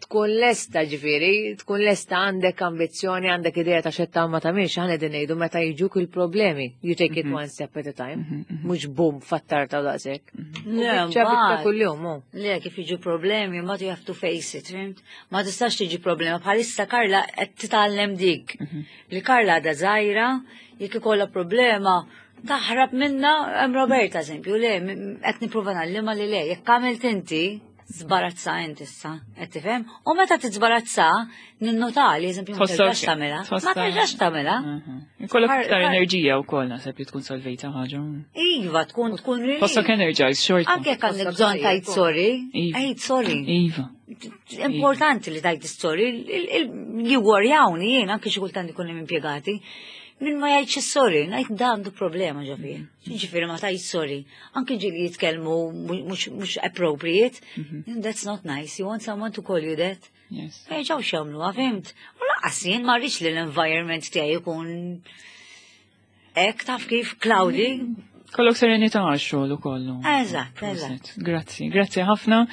tkun lesta ġifieri, tkun lesta għandek ambizzjoni, għandek idea ta' xetta ma tagħmilx, aħna qegħdin ngħidu meta jiġuk il-problemi. You take it mhm. one step at a time, mhm, mhm. mhux bum fattar ta' daqshekk. Le, ċabita kuljum. Le, kif jiġu problemi, ma you have to face it, fimt? Ma tistax tiġi problema. Bħalissa Karla qed titgħallem dik. Li Karla għadha żgħira, jekk ikollha problema, taħrab minna hemm Roberta eżempju, le, qed nipprova ngħallimha li le, jekk għamilt inti, Żbarazza int issa, qed tifhem? U meta tiżbarazza, ninnota li eżempju ma terġax tagħmilha. Ma terġax tagħmilha. Mhm. Ikollok iktar enerġija wkoll naħseb li tkun solvejta ħaġa. Iva, tkun tkun Tħossok energized xorta. Anke jekk għandek bżonn tajt sorry, Iva. għid sorry. Iva. Importanti li tajt sorry, jigwarjawni jien anke xi kultant ikun hemm impjegati. Min ma jgħidx sorry, ngħid da għandu problema ġo fih. Ġifieri ma tgħidx sorry. Anki ġieli jitkellmu mhux appropriate. Mhm. That's not nice. You want someone to call you that? Yes. Ma jerġgħux jagħmluha, fimt? U lanqas jien ma rridx li l-environment tiegħi jkun hekk taf kif cloudy. Kollok serenità għax-xogħol ukoll. Eżatt, eżatt. Grazzi, grazzi ħafna.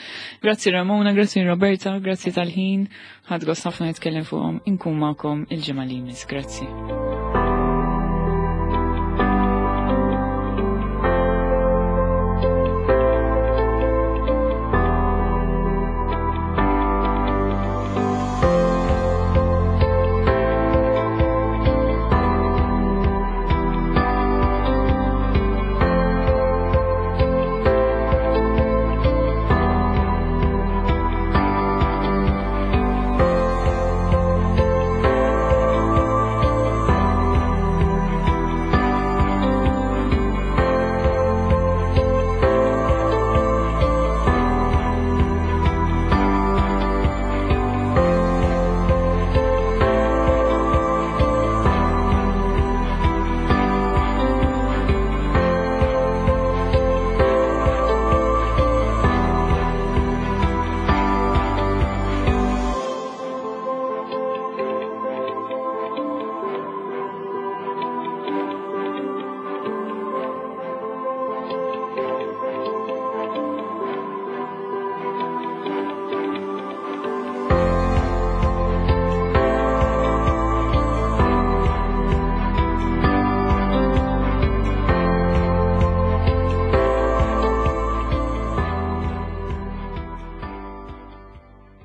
Grazzi Ramona, grazzi Roberta, grazzi tal-ħin. Ħadd gost ħafna nitkellem fuqhom. Inkun magħkom il-ġimgħa li jmiss. Grazzi.